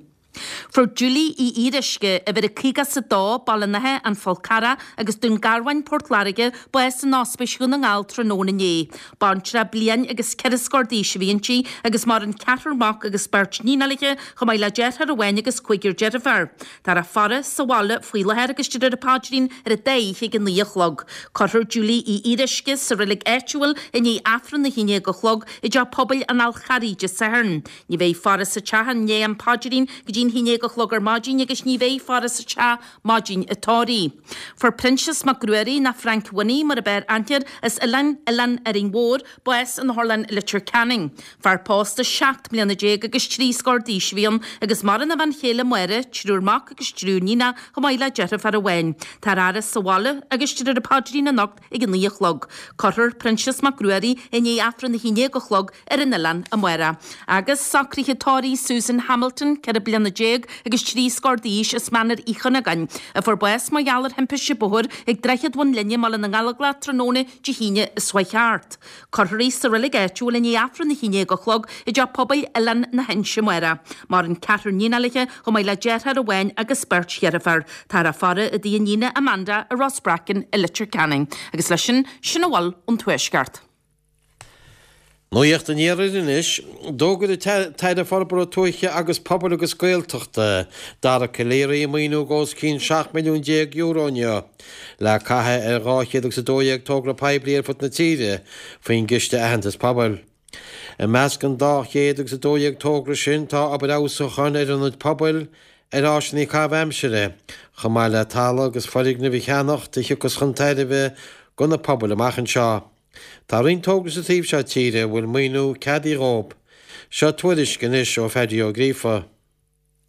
Fuair Julie Uí Fhíoruisce, uimhir a 52, Baile an Átha, An Fál Carrach agus Dún Garbhán, Port Láirge, bás in Ospís Dhún na nGall tráthnóna inné. Baintreach bliain agus ceithre scór d'aois a bhí inti agus maireann ceathrar mac agus beirt níonacha léi chomh maith le deartháir amháin agus cúigear deirfiúr. Táthar á faire sa bhaile faoi láthair agus déarfar an paidrín ar an dá oíche ag a 9 a chlog. Cuirfear Julie Uí Fhíoruisce sa reilig áitiúil i ndiaidh Aifreann a 11 a chlog i dTeach Pobail an Fháil Charraigh Dé Sathairn. Ní bheidh faire sa teach i ndiaidh an phaidrín go dtí'n 11 a chlog ar maidin agus ní bheidh faire sa teach maidin an tórraimh. Fuair Proinsias Mac Ruairí nó Frank Winnie mar ab fhearr aithne air as Oileán Oileán Árainn Mhór, bás in Otharlann Leitir Ceanainn. Fear pósta 17 mbliana agus 3 scór d'aois a bhí ann agus maireann a bhean chéile Máire, triúr mac agus triúr níonach chomh maith le deirfiúr amháin. Táthar á fhaire sa bhaile agus déarfar an paidrín anocht ag a 9 a chlog. Cuirfear Proinsias Mac Ruairí i ndiaidh Aifreann a 11 a chlog ar an oileán amárach. Agus socruithe tórraimh Susan Hamilton, 14 bliana agus 3 scór d'aois as Mainéar Uí Chuinneagáin, a fuair bás mar gheall ar thimpiste bóthair ag Droichead Bhun Linne i mBaile na nGallóglach tráthnóna Dé hAoine seo chuaigh thart. Cuirfear í sa reilig áitiúil i ndiaidh Aifreann a 11 a chlog i dTeach Pobail Oileán na hInse amárach. Maireann ceathrar níonacha léi chomh maith le deartháir amháin agus beirt dheirfiúr. Táthar á faire i dtigh a níne Amanda i Ros Breacain i Leitir Ceanainn. Agus leis sin, sin a bhfuil ón Tuaisceart. Nuacht an Iarthair anois. D'fhógair an tAire Forbartha Tuaithe agus Pobail agus Gaeltachta, Dara Calleary, maoiniú os cionn €17 milliún inniu le caitheamh ar 212 togra poiblí ar fud na tíre faoin gCiste Aitheantais Pobail. I measc an 212 togra sin tá obair fheabhsúcháin ar ionaid pobail, ar áiseanna caitheamh aimsire, chomh maith le talamh agus foirgnimh a cheannacht a thiocfas chun tairbhe do na pobail amach anseo. Tá roinnt tograí sa taobh seo tíre a bhfuil maoiniú ceadaithe dhóibh. Seo tuairisc anois ó Phaddy Ó Gríofa.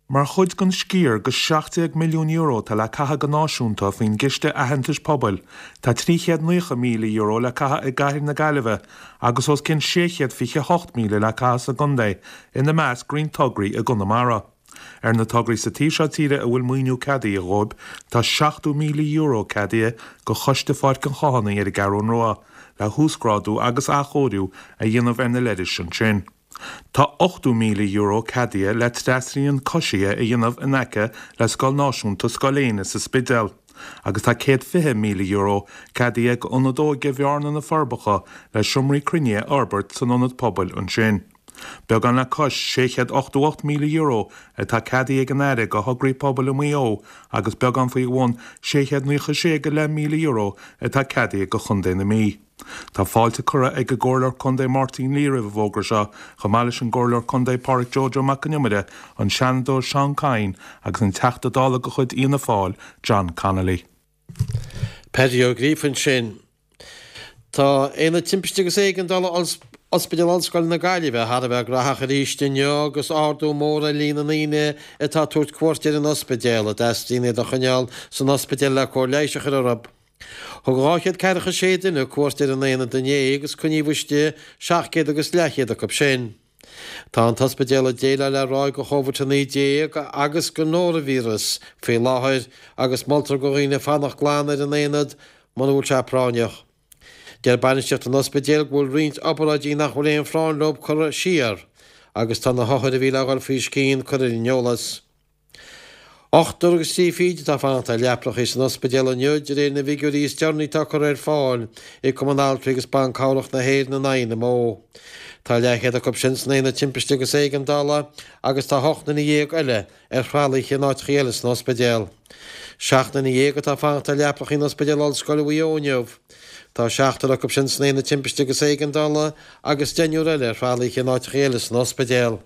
Mar chuid den sciar de €17 milliún atá le caitheamh go náisiúnta faoin gCiste Aitheantais Pobail, tá €390,000 le caitheamh i gcathair na Gaillimhe agus os cionn €628,000 le caitheamh sa gcontae, ina measc roinnt tograí i gConamara. Ar na tograí sa taobh seo tíre a bhfuil maoiniú ceadaithe dhóibh, tá €70,000 ceadaithe do Choiste Pháirc an Chathánaigh ar an gCeathrún Rua le huasghrádú agus athchóiriú a dhéanamh ar na leithris ansin. Tá €80,000 ceadaithe le trasrian coisithe a dhéanamh in aice le Scoil Náisiúnta Scoil Éanna sa Spidéal agus tá €120,000 ceadaithe d'Ionad Óige Bhearna-Na Forbacha le seomraí cruinnithe a fhorbairt san ionad pobail ansin. Beagán le cois €688,000 atá ceadaithe ag an Aire do thograí pobail i Maigh Eo agus beagán faoi bhun €696,500 atá ceadaithe do Chontae na Mí. Tá fáilte curtha ag an gComhairleoir Contae Máirtín Lee roimh an bhfógra seo, chomh maith leis an gComhairleoir Contae Pádraic Joe Joe Mac Con Iomaire, an Seanadóir Seán Kyne agus an Teachta Dála de chuid Fhianna Fáil, John Connolly. Paddy Ó Gríofa ansin. Tá Aonad Timpiste agus Éigeandála Ospidéal Ollscoile na Gaillimhe thar a bheith graitheach arís inniu agus ardú mór ar líon na ndaoine atá ag tabhairt cuairt ar an ospidéal, a dteastaíonn iad a choinneáil san ospidéal le cóir leighis a chur orthu. Thug 246 duine cuairt ar an aonad inné agus coinníodh istigh 700 agus leathchéad acu sin. Tá an t-ospidéal ag déileáil le ráig de Chóivid-19 agus den nóraivíreas faoi láthair agus moltar do dhaoine fanacht glan ar an aonad muna bhfuil sé práinneach. Deir bainistíocht an ospidéil go bhfuil roinnt obráidí nach bhfuil aon phráinn leo curtha siar agus tá na hothair a bhí le dhul faoi scian curtha ar an eolas. Ochtar agus trí fichid atá ag fanacht ar leaprachaí san ospidéal inniu, de réir na bhfigiúirí is deireanaí atá curtha ar fáil ag Cumann Altraí agus Ban Cabhrach na hÉireann an INMO. Tá leathchéad acu sin san Aonad Timpiste agus Éigeandála agus tá 18 nduine eile ar thralaithe in áiteachaí eile san ospidéal. 7 nduine atá ag fanacht ar leaprachaí in Ospidéal Ollscoile Mhaigh Eo inniu. Tá seachtar acu sin san Aonad Timpiste agus Éigeandála agus deichniúr eile ar thralaithe in áiteachaí eile san ospidéal.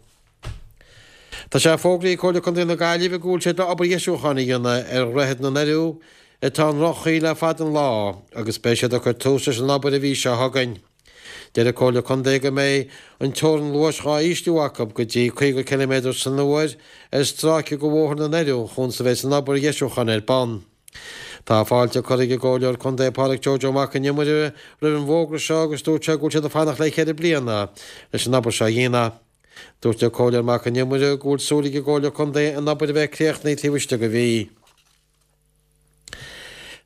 Tá sé fógraithe ag Comhairle Contae na Gaillimhe go bhfuil siad le obair dheisiúcháin a dhéanamh ar Dhroichead na nDoirí atá i ndroch-chaoi le fada an lá agus beidh siad ag cur tús leis an obair an mhí seo chugainn. Deir an Comhairle Contae go mbeidh an teorainn luais dhá ísliú acu go dtí 50 ciliméadar san uair ar stráice de Bhóthar na nDoirí chuan is a bheas an obair dheisiúcháin ar bun. Tá fáilte curtha ag an gComhairleoir Contae Pádraic Joe Joe Mac an Iomaire roimh an bhfógra seo agus dúirt sé go bhfuil siad ag fanacht le ceithre bliana leis an obair seo a dhéanamh. Dúirt an Comhairleoir Mac an Iomaire go bhfuil súil ag an gComhairle Contae an obair a bheith críochnaithe taobh istigh de mhí.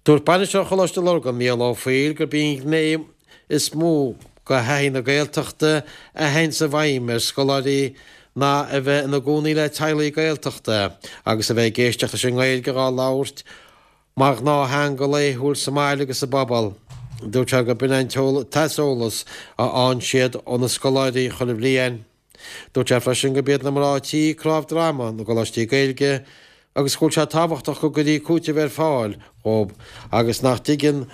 Dúirt Bainisteoir Choláiste Lurgan, Mícheál Ó Foighil, gurb í an ghné is mó de thaithí na Gaeltachta a théanns i bhfeidhm ar scoláirí ná a bheith ina gcónaí le teaghlaigh Gaeltachta agus a bheith ag éisteacht leis an nGaeilge dhá labhairt mar ghnáth-theanga laethúil sa mbaile agus sa bpobal. Dúirt sé gurb in an t-aiseolas a fhaigheann siad ó na scoláirí chuile bhliain. Dúirt sé freisin gurb iad na mná tí cnámh droma na gcoláistí Gaeilge agus go bhfuil sé tábhachtach go gcuirfí cúiteamh ar fáil dhóibh agus nach dtuigeann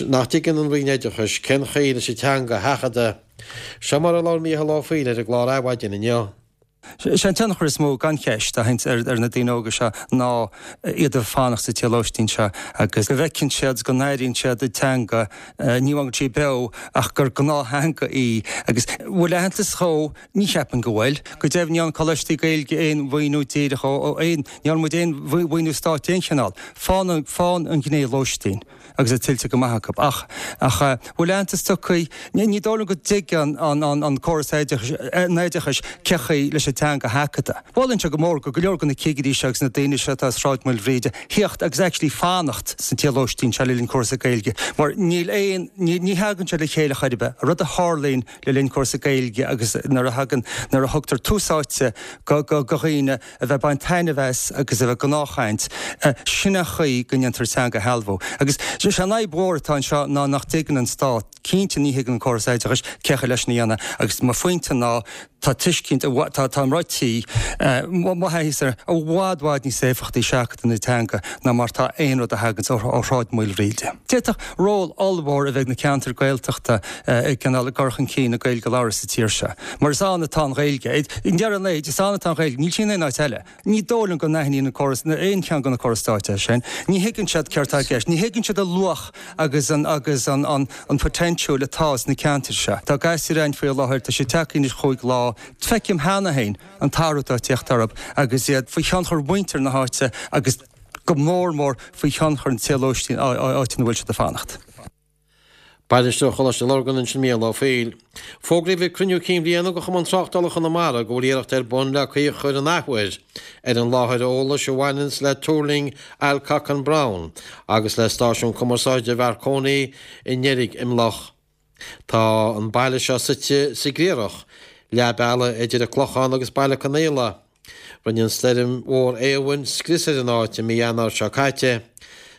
nach dtuigeann an Roinn Oideachais cén chaoi leis an teanga a sheachadadh. Seo mar a labhair Mícheál Ó Foighil ar an gclár Adhmhaidin inniu. Sé an tionchar is mó, gan cheist, a théanns ar na daoine óga seo ná iad a fanacht sa tí lóistín seo agus go bhfeiceann siad, go n-airíonn siad an teanga, ní amháin go bhfuil sí beo ach gur gnáth-theanga í. Agus bhfuil aitheantas dhó? Ní cheapaim go bhfuil. Go deimhin ní fhaigheann coláistí Gaeilge aon mhaoiniú díreach ó aon, ní fhaigheann muid aon mhaoiniú stáit d'aon chineál. Fán, fán an ghné lóistín. agus é tuillte go maith acu. Ach, ach bhfuil aitheantas tugtha, ní dóigh liom go dtuigeann an, an, an córas oideachais, an oideachais cé chaoi leis an teanga a sheachadadh. Mholfainnse go mór go go leor de na cigirí seo agus na daoine seo atá i Sráid Mhaoilbhríde theacht agus actually fanacht sa tí lóistín seo le linn cúrsa Gaeilge mar níl aon, ní, ní thagann sé le chéile chor ar bith. An rud a tharlaíonn le linn cúrsa Gaeilge agus nuair a thagann, nuair a thugtar tús áite go, go, go dhaoine a bheith ag baint taitneamh as agus a bheith ag gnáthchaint, sin an chaoi go ndéantar teanga a shealbhú. Agus sé an fhadhb mhór atá anseo ná nach dtuigeann an stát, cinnte ní thuigeann an córas oideachais cé chaoi leis sin a dhéanamh agus mo phointe ná tá tuiscint, tá tá mná tí, mo thaithíosa, i bhfad bhfad níos éifeachtaí seachadadh na teanga ná mar tá aon rud a thaganns ó Shráid Mhaoilbhríde. D'fhéadfadh ról ollmhór a bheith ag na ceantair Gaeltachta i gcineál i gcur chun cinn na Gaeilge a labhairt sa tír seo. Mar is ann atá an Ghaeilge. I ndeireadh an lae, is ann atá an Ghaeilge. Níl sí in aon áit eile. Ní dóigh liom go n-aithníonn an córas, aon cheann de na córais stáit é sin. Ní thuigeann siad céard atá i gceist. Ní thuigeann siad an luach agus an, agus an, an, an potential atá sna ceantair seo. Tá gasúir againn faoi láthair, tá siad tagtha anois chúig lá. Feicim cheana féin an t-athrú atá ag tíocht orthu agus iad faoi thionchar mhuintir na háite agus go mór mór faoi thionchar an tí lóistín, áit ina bhfuil siad ag fanacht. Bainisteoir Choláiste Lurgan ansin Mícheál Ó Foighil. Fógraíodh ag cruinniú cinn bhliana de Chumann Tráchtála Chonamara go bhfuil iarracht ar bun le caoi a chur an athuair ar an láthair eolais a bhaineanns le tuirling Alcock and Brown agus le stáisiún cumarsáide Mharconi i nDeirg Imleach. Tá an baile seo suite sa gCriathrach, leath bealaigh idir an Clochán agus Baile Conaola. Rinne an stoirm mhór Éowyn scrios ar an áit i mí Eanáir seo caite.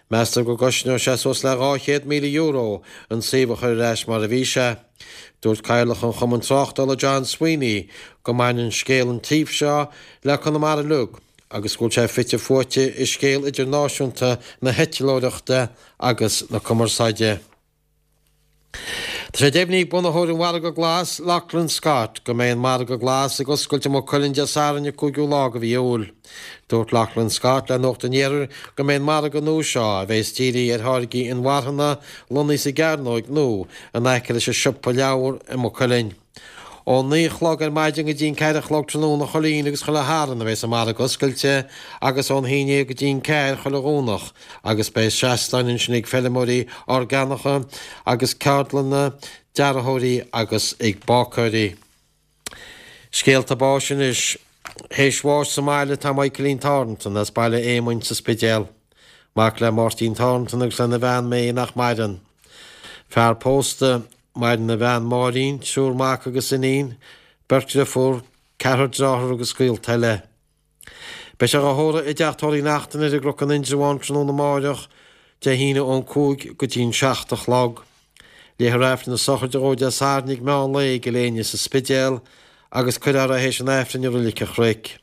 Meastar go gcosnóidh sé suas le €200,000 an suíomh a chur ar ais mar a bhí sé. Dúirt Cathaoirleach an Chumainn Tráchtála John Sweeney go mbaineann scéal an tsuímh seo le Conamara uilig agus go bhfuil sé fite fuaite i scéal idirnáisiúnta na heitleoireachta agus na cumarsáide. Tá sé deimhnithe ag bunaitheoir an Mhargaidh Ghlais, Lochlann Scott, go mbeidh an Margadh Glas ag oscailt i Maigh Cuilinn Dé Sathairn an 5ú lá de mhí Iúil. Dúirt Lochlann Scott le Nuacht an Iarthair go mbeidh an margadh nua seo, a bheas dírithe ar tháirgí inmharthana, lonnaithe sa gCearnóig nó in aice leis an siopa leabhar i Maigh Cuilinn. Ón 9 a chlog ar maidin go dtí an 4 a chlog tráthnóna chuile Aoine agus chuile Shatharn a bheas an margadh oscailte agus ón 11 go dtí an 4 chuile Dhomhnach agus beidh seastáin ansin ag feilméaraí orgánacha agus ceardlanna dearthóirí agus ag bácáirí. Scéalta báis anois. Théis bháis sa mbaile tá Michaelín Thornton as Baile Éamoinn sa Spidéal. Mac le Máirtín Thornton agus lena bhean May nach maireann. Fear pósta. Maireann a bhean Máirín, triúr mac agus iníon, beirt dhriofúr, ceathrar dearthár agus gaolta eile. Beidh sé á thórramh i dTeach Tórraimh Uí Neachtain ar an gCnoc in Indreabhán tráthnóna amáireach, Dé hAoine ón 5 go dtí an 7 a chlog. Léifear Aifreann na sochraide dhó Dé Sathairn ag meán lae i gCill Éinne sa Spidéal agus cuirfear é théis an Aifrinn i Roilig an Chnoic.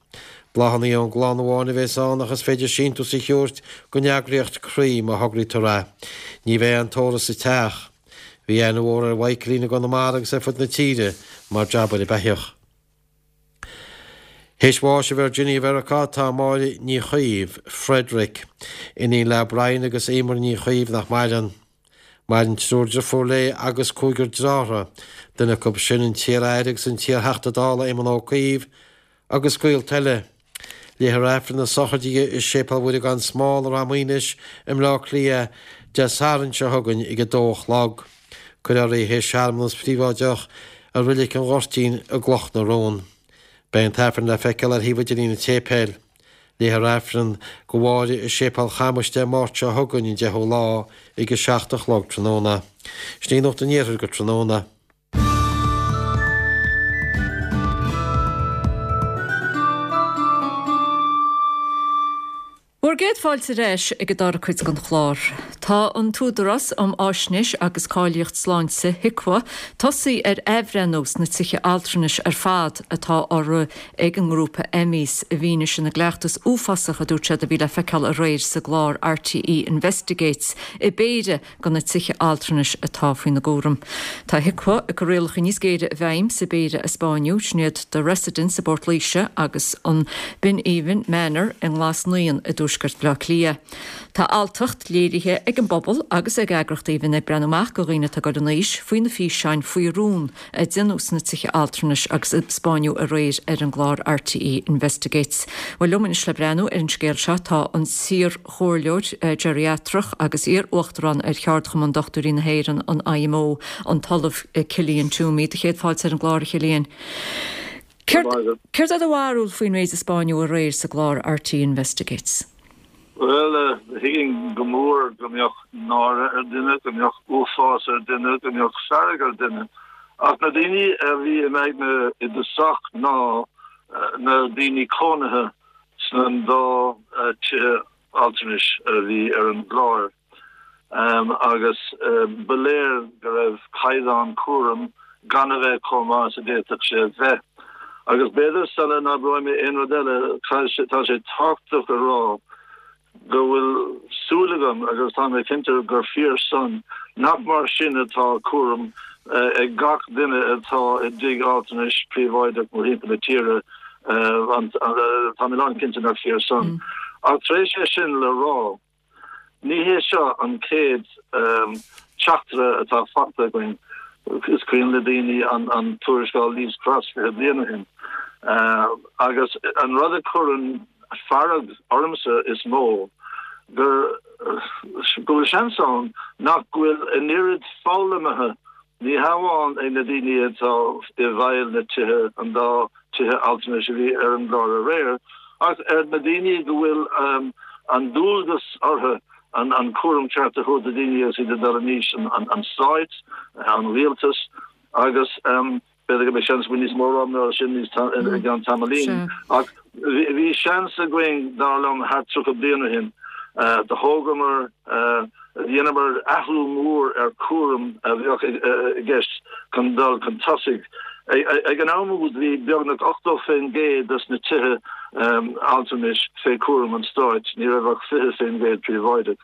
Bláthanna ón gclann amháin a bhéas ann ach is féidir síntiús a thabhairt don eagraíocht Croí má thograítear é. Ní bheidh aon tórramh sa teach. Bhí aithne mhór ar Mhichaelín i gConamara agus ar fud na tíre mar jabaire beithíoch. Théis bháis i Virginia Mheiriceá tá Máire Ní Chaoimh, Frederick, iníon le Brian agus Emer Ní Chaoimh nach maireann. Maireann triúr driofúr léi agus cúigear dearthára, duine acu sin an t-iar-aire agus an t-iar-Theachta Dála Éamon Ó Cuív, agus gaolta eile. Léifear Aifreann na sochraide di i Séipéal Mhuire gan Smál i Ráth Maoinis i mBleá Cliath Dé Sathairn seo chugainn ag a dó a chlog. Cuirfear í théis searmanas príobháideach i Roilic an Ghoirtín i gCloch na Rón. Beidh an tAifreann le feiceáil ar shuíomh idirlín an tséipéil. Léifear Aifreann do Mháire i Séipéal Chamuis Dé Máirt seo chugainn an 10ú lá ag a 7 a chlog tráthnóna. Sin í Nuacht an Iarthair go tráthnóna. Bhur gcéad fáilte ar ais ag an dara cuid den chlár. Tá an tÚdarás um Fháisnéis agus Cáilíocht Sláinte, HIQA, tosaithe ar athbhreithniú sna tithe altranais ar fad atá á rith ag an ngrúpa Emmes i bhfianaise na gcleachtas uafásach a dúirt siad a bhí le feiceáil aréir sa gclár RTÉ Investigates i bpéire de na tithe altranais atá faoina gcúram. Tá HIQA ag cur rialacha níos géire i bhfeidhm sa bpéire a 'spáineadh, sin iad The Residence i bPort Laoise agus an Binn Aoibhinn Manor i nGlas Naíon i dtuaisceart Bhaile Átha Cliath. Tá alltacht léirithe ag an bpobal agus ag eagraíochtaí a bhíonn ag breathnú amach do dhaoine atá ag dul in aois faoi na físeáin faoi rún a déanadh sna tithe altranais agus a 'spáineadh aréir ar an gclár RTÉ Investigates. Bhuel, liom anois le breathnú ar an scéal seo tá an t-iar-chomhairleoir geiriatrach agus iar-uachtarán ar Cheardchumann Dochtúirí na hÉireann, an IMO, an tOllamh Cillian Toomey. Do chéad fáilte ar an gclár, a Chillian. Céard é do bharúil faoin méid a 'spáineadh aréir sa gclár RTÉ Investigates? Bhuel, thuigfinn go mór go mbeadh náire ar dhuine, go mbeadh uafás ar dhuine, go mbeadh fearg ar dhuine. Ach na daoine a bhí im aigne i dtosach ná na daoine cónaithe sna dá tithe altranais a bhí ar an gclár. Agus ba léir go raibh caighdeán cúraim gan a bheith chomh maith is a d'fhéadfadh sé a bheith. Agus b'fhéidir sula n-abróidh mé aon rud eile, tá sé tábhachtach a rá go bhfuil súil agam, agus tá mé cinnte gur fíor san, nach mar sin atá cúram ag gach duine atá i dtigh altranais príobháideach mórthimpeall na tíre. Tá mé lánchinnte nach fíor san. Ach tar éis é sin le rá, Ní hé seo an chéad teachtaire atá faighte againn. Is cuimhin le daoine an tuarascáil Leaves Cross 20 bliain ó shin. Agus an rud a chuireann fearg ormsa is mó gur go bhfuil seans ann nach bhfuil an oiread foghlamtha ní hamháin ag na daoine atá i bhfeighil na tithe, an dá tithe altranais a bhí ar an gclár aréir, ach ar na daoine go bhfuil an dualgas orthu an cúram ceart a thabhairt do daoine agus iad ag dul in aois, an Stáit, an Rialtas agus b'fhéidir go mbeidh seans againn níos mó a rá mar sin i gceann tamaillín. Ach bhí seans againn, dar liom, thart 30 bliain ó shin, do thógamar, dheineamar athrú mór ar cúram a bheadh i gceist chun dul chun tosaigh. Ag an am úd bhí beagnach 80% des na tithe altranais fé chúram an stáit, ní raibh ach 20% príobháideach.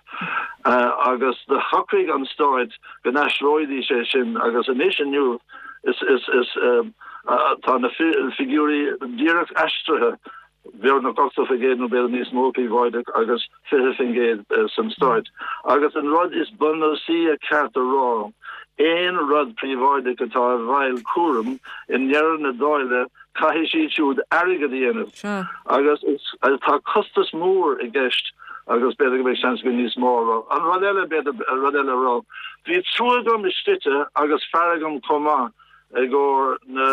Agus do shocraigh an stáit go n-aistreoidís é sin agus anois inniu is is tá na figiúirí díreach aistrithe, beagnach 80% nó b'fhéidir níos mó príobháideach agus 20% san stáit. Agus an rud is bunúsaí a ceart a rá, aon rud príobháideach atá i bhfeighil cúram i ndeireadh na dáile caithfidh siad siúd airgead a dhéanamh. Agus tá costas mór i gceist agus b'fhéidir go mbeidh seans againn níos mó a rá. An rud eile, b'fhéidir, rud eile a rá, bhí trua agam i slite agus fearg agam chomh maith i gcomhair na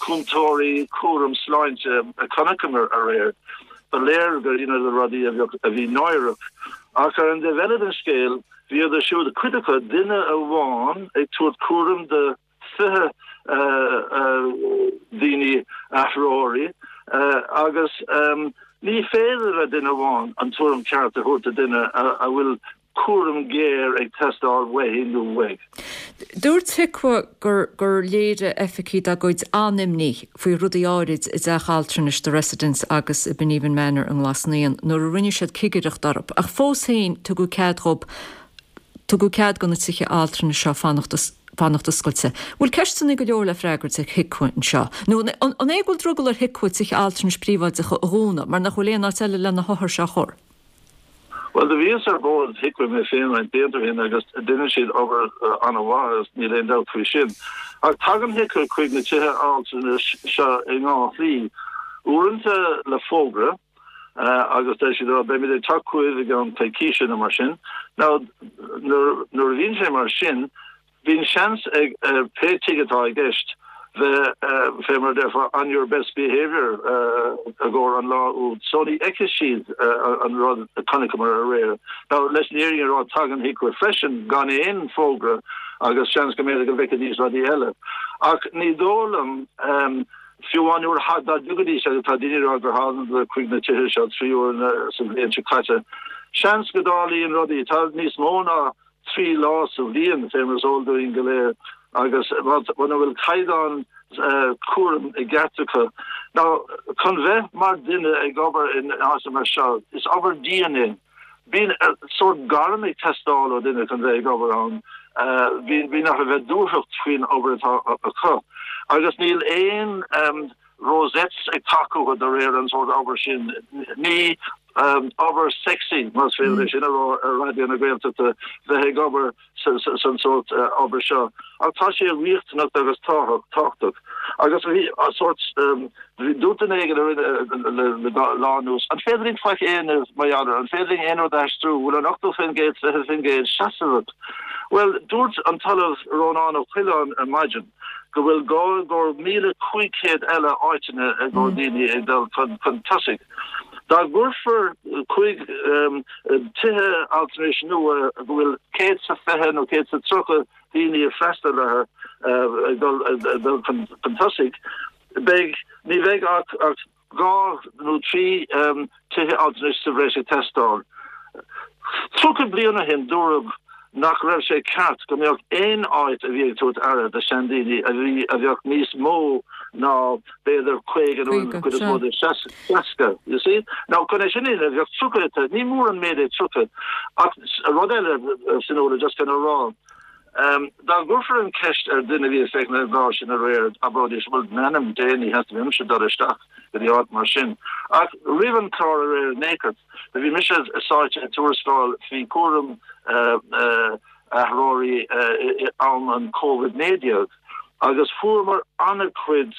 cúntóirí cúram sláinte a chonaiceamar aréir. Ba léir gur dheineadar rudaí a bheadh, a bhí náireach. Ach ar an dtaobh eile den scéal, bhíodar siúd, cuid acu, duine amháin ag tabhairt cúram do 20 daoine athróirí agus ní féidir le duine amháin an tuairim ceart a thabhairt do duine a bhfuil cúram géar ag teastáil uaithi nó uaidh. Dúirt HIQA gur gur léirigh oifigigh dá gcuid an-imní faoi rudaí áirid i dteach altranais The Residence agus i Beneavin Manor i nGlas Naíon nuair a rinne siad cigireacht orthu ach fós féin tugadh cead dhób Tugadh cead do na tithe altranais seo fanacht fanacht oscailte. Bhfuil ceisteanna go leor le freagairt ag HIQA anseo? Nó an é go bhfuil drogall ar HIQA tithe altranais príobháideacha a dhúnadh mar nach bhfuil aon áit eile le na hothair seo a chur? Bhuel, do bhíos ar bhord HIQA mé féin roinnt blianta ó shin agus deineann siad obair an-mhaith agus níl aon dabht faoi sin. Ach tagann HIQA chuig na tithe altranais seo i ndhá shlí. Uaireanta le fógra, agus deir siad, 'Beimid ag teacht chugaibh i gceann coicíse nó mar sin. Now, nuair a bhíonn sé mar sin, bíonn seans ag pé tigh atá i gceist bheith, fé mar a déarfá, on your best behaviour i gcomhair an lá úd. So ní fheicfidh siad an rud a chonaiceamar aréir. Now, leis an fhírinne a rá, tagann HIQA freisin gan aon fógra agus seans go mb'fhéidir go bhfeicfidís rudaí eile. Ach ní dóigh liom, Fiú amháin nuair a dá dtiocfaidís, agus tá daoine ag rá gur thánadar chuig na tithe seo 3 huaire sa bhliain seo caite, seans go dtarlaíonn rudaí. Tá níos mó ná 3 lá sa bhliain, fé mar is eol dúinn go léir, agus muna bhfuil caighdeán cúraim i gceart acu. Now, chun bheith mar duine ag obair in áit mar seo, is obair dian é. Bíonn sórt gairm ag teastáil ó duine chun bheith ag obair ann. Bíonn orthu bheith dúthracht faoin obair atá acu. Agus níl aon rosettes ag teacht chucu de réir an sórt obair sin. Ní obair sexy, más féidir é sin a rá ar Raidió na Gaeltachta, bheith ag obair san sórt obair seo. Ach tá sé riachtanach agus tábhachtach. Agus bhí sórt, dúirt duine éigin a rinne le lá anuas, an féidir linn faic a dhéanamh mar gheall air, an féidir linn aon rud a aistriú, bhfuil an 80%, 20% seasmhach? Bhuel, dúirt an tOllamh Rónán Ó Coileáin ar maidin go bhfuil gá i gcomhair 1,500 eile áiteanna i gcomhair daoine ag dul chun tosaigh. Dá gcuirfear 5 tithe altranais nua go bhfuil 120 nó 130 daoine ag freastal orthu ag dul chun tosaigh, beidh, ní bheidh ach 2 nó 3 tithe altranais sa bhreis ag teastáil. 30 bliain ó shin dúradh nach raibh sé ceart go mbeadh aon áit a bhí ag tabhairt aire do seandaoine a bhí a bheadh níos mó ná b'fhéidir 50 nó an chuid is mó de 60, you see. Now chun é sin a dhéanamh bheadh 30, ní mór an méid é 30 ach rud eile Fionnuala just chun a rá, Dá gcuirfear an cheist ar duine a bhí ag féachaint ar an gclár sin aréir, abróidís, bhuel, m'anam Dé, ní theastaíonn uaimse dul isteach go dtí áit mar sin. Ach roimh an chlár aréir in aon chor, bhí mise sáite i tuarascáil faoi chúram. athróirí i am an Covid-19 agus fuaireamar an-chuid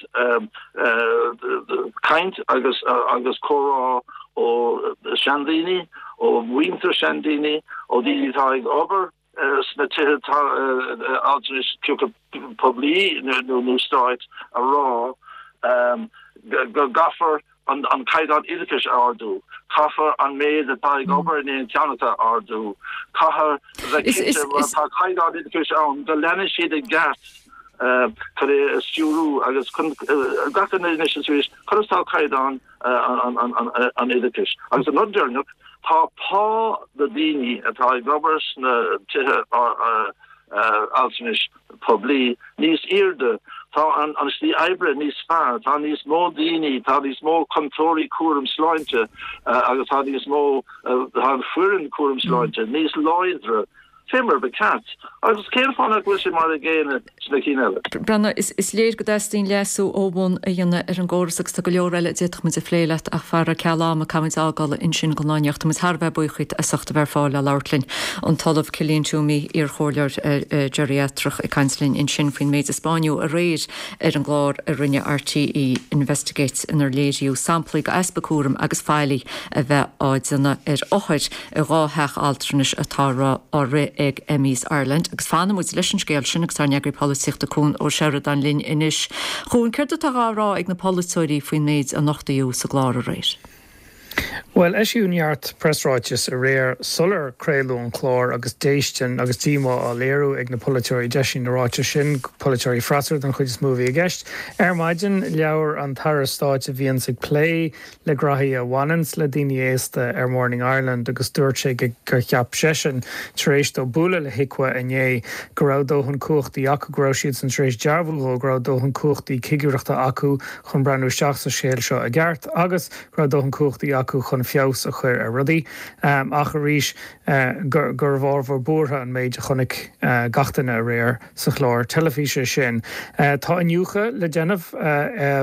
caint agus agus comhrá ó seandaoine, ó mhuintir seandaoine, ó daoine atá ag obair sna tithe altranais poiblí nó stáit a rá go gcaithfear an caighdeán oideachais a ardú, caithfear an méid atá ag obair in aon cheann acu a ardú, caithfear a bheith cinnte má tá caighdeán oideachais ann go leanann siad i gceart chun é a stiúrú agus chun gach duine anois is arís conas tá caighdeán an oideachais. Agus an rud deireanach, tá pá na daoine atá ag obair sna tithe altranais poiblí níos airde, tá an slí oibre níos fearr, tá níos mó daoine, tá níos mó cúntóirí cúram sláinte agus tá níos mó, tá an foireann cúram sláinte níos láidre. Fé mar ba cheart. Agus cén fáth nach bhfuil sé mar a gcéanna sna cinn eile? Breandán, is léir go dteastaíonn leasú ó bhun a dhéanamh ar an gcóras agus tá go leor eile a d'fhéadfadh muid a phlé leat ach fara ceal ama caithfimid fhágáil ansin don lá inniu. Tá muid thar a bheith buíoch díot as ucht a bheith ar fáil le labhairt linn. An tOllamh Cillian Toomey, iar-chomhairleoir geiriatrach ag caint linn ansin faoin méid a 'spáineadh aréir ar an gclár a rinne RTÉ Investigates inar léiríodh samplaí d'easpa cúraim agus faillí a bheith á déanamh ar othair i 2 theach altranais atá á rith ag Emmes Ireland agus fanfaidh muid leis an scéal sin agus ár n-eagraí polaitíochta Cuan Ó Seireadáin linn anois. Chuan, céard atá á rá ag na polaiteoirí faoin méid a nochtaíodh sa gclár aréir? Bhuel, eisíodh neart preasráiteas aréir sular craoladh an clár agus déistin agus díomá á léiriú ag na polaiteoirí. D'eisigh na ráitis sin, polaiteoirí freasúra den chuid is mó a bhí i gceist. Ar maidin, labhair an tAire Stáit a bhíonns ag plé le graithí a bhaineanns le daoine aosta ar Morning Ireland agus dúirt sé gur cheap seisean, tar éis dó bualadh le HIQA inné, go raibh dóthain cumhachtaí acu, go raibh siadsan tar éis dearbhú dhó go raibh dóthain cumhachtaí cigireachta acu chun breathnú isteach sa scéal seo i gceart agus go raibh dóthain cumhachtaí acu chun feabhas a chuir ar rudaí. Ach arís, gurbh ábhar buartha an méid a chonaic gach duine aréir. sa chlár teilifíse sin. Tá iniúchadh le déanamh,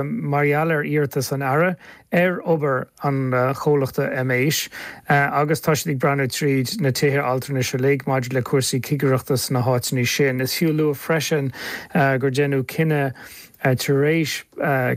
mar gheall ar iarratas an Aire, ar obair an chomhlachta Emeis agus tá siad ag breathnú tríd na tithe altranais uilig maidir le cúrsaí cigireachta sna háiteanna sin. Is fiú a lua freisin gur deineadh cinneadh tar éis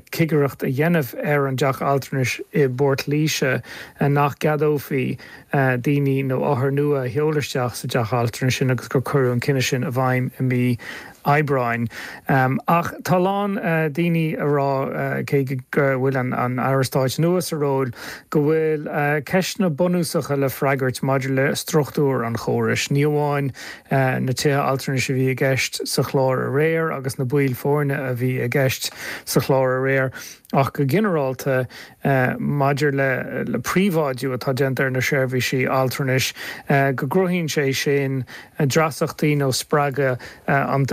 cigireacht a dhéanamh ar an dteach altranais i bPort Laoise nach gceadófaí daoine nó othair nua a sheoladh isteach sa dteach altranais sin agus gur cuireadh an cinneadh sin i bhfeidhm i mí Aibreáin. Ach tá a lán daoine ag rá, cé go bhfuil an Aire Stáit nua sa ról, go bhfuil ceisteanna bunúsacha le freagairt maidir le struchtúr an chórais. Ní amháin na tithe altranais a bhí i gceist sa chlár aréir agus na baill foirne a bhí i gceist sa chlár aréir ach go ginearálta maidir le príobháidiú atá déanta ar na seirbhísí altranais, go gcruthaíonn sé sin dreasachtaí nó spreagadh an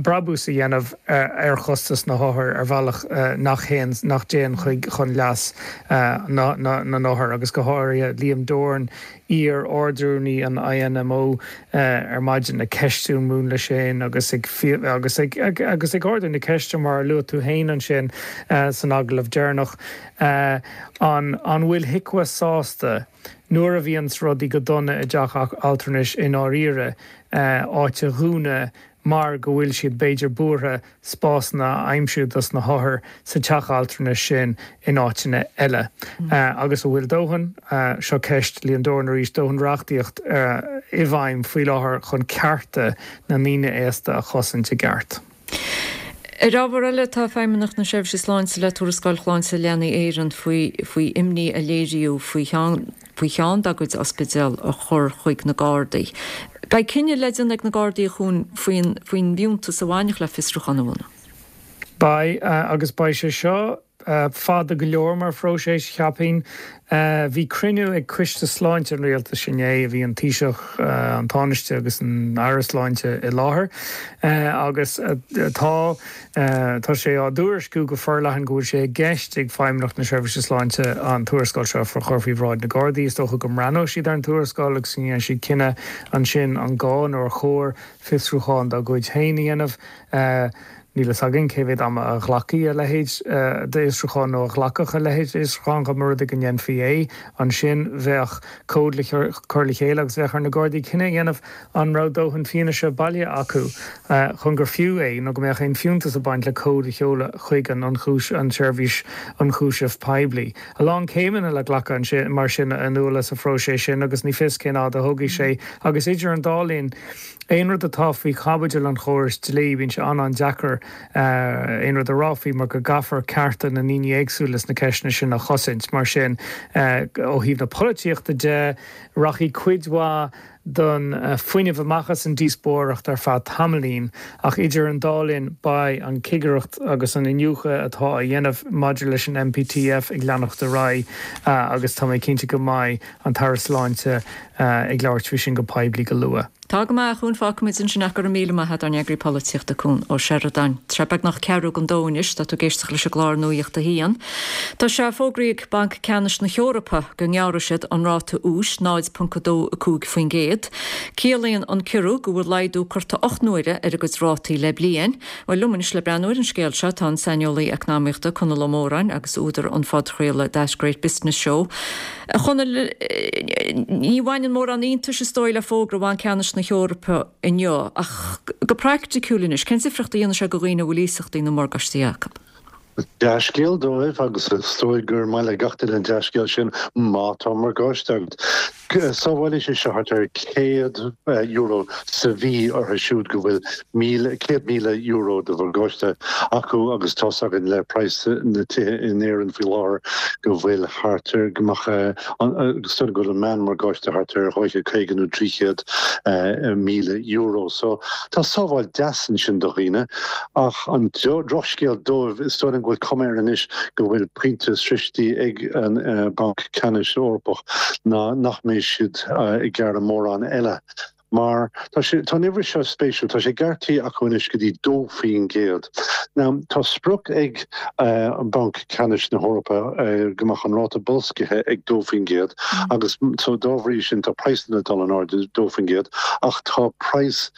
brabús a dhéanamh ar chostas na hothair ar bhealach nach théann, nach dtéann chuig chun leas na n-othar agus go háirithe Liam Doran, iar-Ardrúnaí an INMO ar maidin ag ceistiú an múnla sin agus ag agus ag agus ag ardú na ceiste mar a luaigh tú féin ansin san agallamh deireanach an an bhfuil HIQA sásta nuair a bhíonns rudaí go dona i dteach altranais i ndáiríre áit a dhúnadh mar go bhfuil siad b'fhéidir buartha spásanna a aimsiú dos na hothair sa teach altranais sin in áiteanna eile. Agus an bhfuil dóthain, seo ceist Liam Doran arís, dóthain reachtaíocht i bhfeidhm faoi láthair chun cearta na ndaoine aosta a chosaint i gceart? Ar ábhar eile, tá Feidhmeannacht na Seirbhíse Sláinte le Tuarascáil Shláinte Leanaí Éireann faoi faoi imní a léiríodh faoi cheann faoi cheann dá gcuid ospidéal a chur chuig na Gardaí. Beidh cinneadh le déanamh ag na Gardaí a Chuain faoin faoin bhfiúntas a bhainfeadh le fiosrúchán a bhunú. Beidh, agus beidh sé seo fada go leor mar phróiseas, cheapfainn. Bhí cruinniú ag Coiste Sláinte an Rialtais inné, bhí an Taoiseach, an Tánaiste agus an Aire Sláinte i láthair agus tá Tá sé á dtuairisciú go forleathan go bhfuil sé i gceist ag Feidhmeannacht na Seirbhíse Sláinte an tuarascáil seo a chur faoi bhráid na Gardaí. Is dócha go mbreathnóidh siad ar an tuarascáil agus go ndéanfaidh siad cinneadh ansin an gá nó ar chóir fiosrúchán dá gcuid féin a dhéanamh. Níl fhios againn cé mhéad ama a ghlacfaidh a leithéid d'fhiosrúchán nó a ghlacfadh a leithéid d'fhiosrúchán dá mba rud é go ndéanfaí é. Ansin bheadh comhad le cur le chéile agus bheadh ar na Gardaí cinneadh a dhéanamh an raibh dóthain fianaise bailithe acu chun gur fiú é nó go mbeadh aon fiúntas ag baint le comhad a sheoladh chuig an an tSeirbhís Ionchúiseamh Poiblí. A lán céimeanna le glacadh ansin mar sin a Fhionnuala sa phróiseas sin agus ní fios cén fhad a thógfaidh sé agus idir an dá linn Aon rud atá faoi chaibidil an chórais dlí, bíonn sé an-an-deacair aon rud a rá faoi mar go gcaithfear cearta na ndaoine éagsúla sna ceisteanna sin a chosaint. Mar sin, ó thaobh na polaitíochta de, rachaidh cuid mhaith den fuinneamh amach as an díospóireacht ar feadh tamaillín, ach idir an dá linn beidh an chigireacht agus an iniúchadh atá á dhéanamh maidir leis an MPTF ag leanacht ar aghaidh agus tá mé cinnte go mbeidh an tAire Sláinte ag labhairt faoi sin go poiblí go luath. Tá go maith, a Chuain, fágfaimid ansin ach go raibh míle maith a't ár n-eagraí polaitíochta Cuan Ó Seireadáin. Tá sé beagnach ceathrú don dó anois, tá tú ag éisteacht leis an gclár Nuacht a hAon. Tá sé fógraithe ag Banc Ceannais na hEorpa go ngearrfaidh siad an ráta úis 0.25%. Ciallaíonn an ciorrú go bhfuil laghdú curtha 8 n-uaire ar a gcuid rátaí le bliain. Bhuel, liom anois le breathnú ar an scéal seo tá an saineolaí eacnamaíochta Conall Ó Móráin agus údar an phodchraoladh That Great Business Show. A Chonaill, ní bhaineann mórán iontais is dóigh le fógra Bhanc Ceannais na hEorpa inniu, ach go praiticiúil anois, cén difríocht a dhéanfaidh sé do dhaoine a bhfuil iasachtaí nó morgáistí acu? Dea-scéal dóibh, agus is dóigh gur maith le gach duine an dea-scéal sin má tá morgáiste agat. Sábhálfaidh sé seo thart ar €100 sa mhí orthu siúd go bhfuil €100,000 de mhorgáiste acu agus tá's againn le praghas na tithe in Éirinn faoi láthair go bhfuil thart ar, go mbeadh, is dóigh go bhfuil an meán-mhorgáiste thart ar 250 nó 300 míle euro. So tá sábháil deas ansin do dhaoine ach an drochscéal dóibh, is dóigh liom go bhfuil cuma air anois go bhfuil pointe sroichte ag an Banc Ceannais Eorpach ná nach mbeidh siad ag gearradh mórán eile. Mar tá sé, tá an uimhir seo spéisiúil, tá sé gearrtha acu anois go dtí 2%. Now, tá sprioc ag an Banc Ceannais na hEorpa go mbeadh an ráta boilscithe ag 2% agus so dá bhrí sin tá praghsanna ag dul in airde 2% ach tá praghas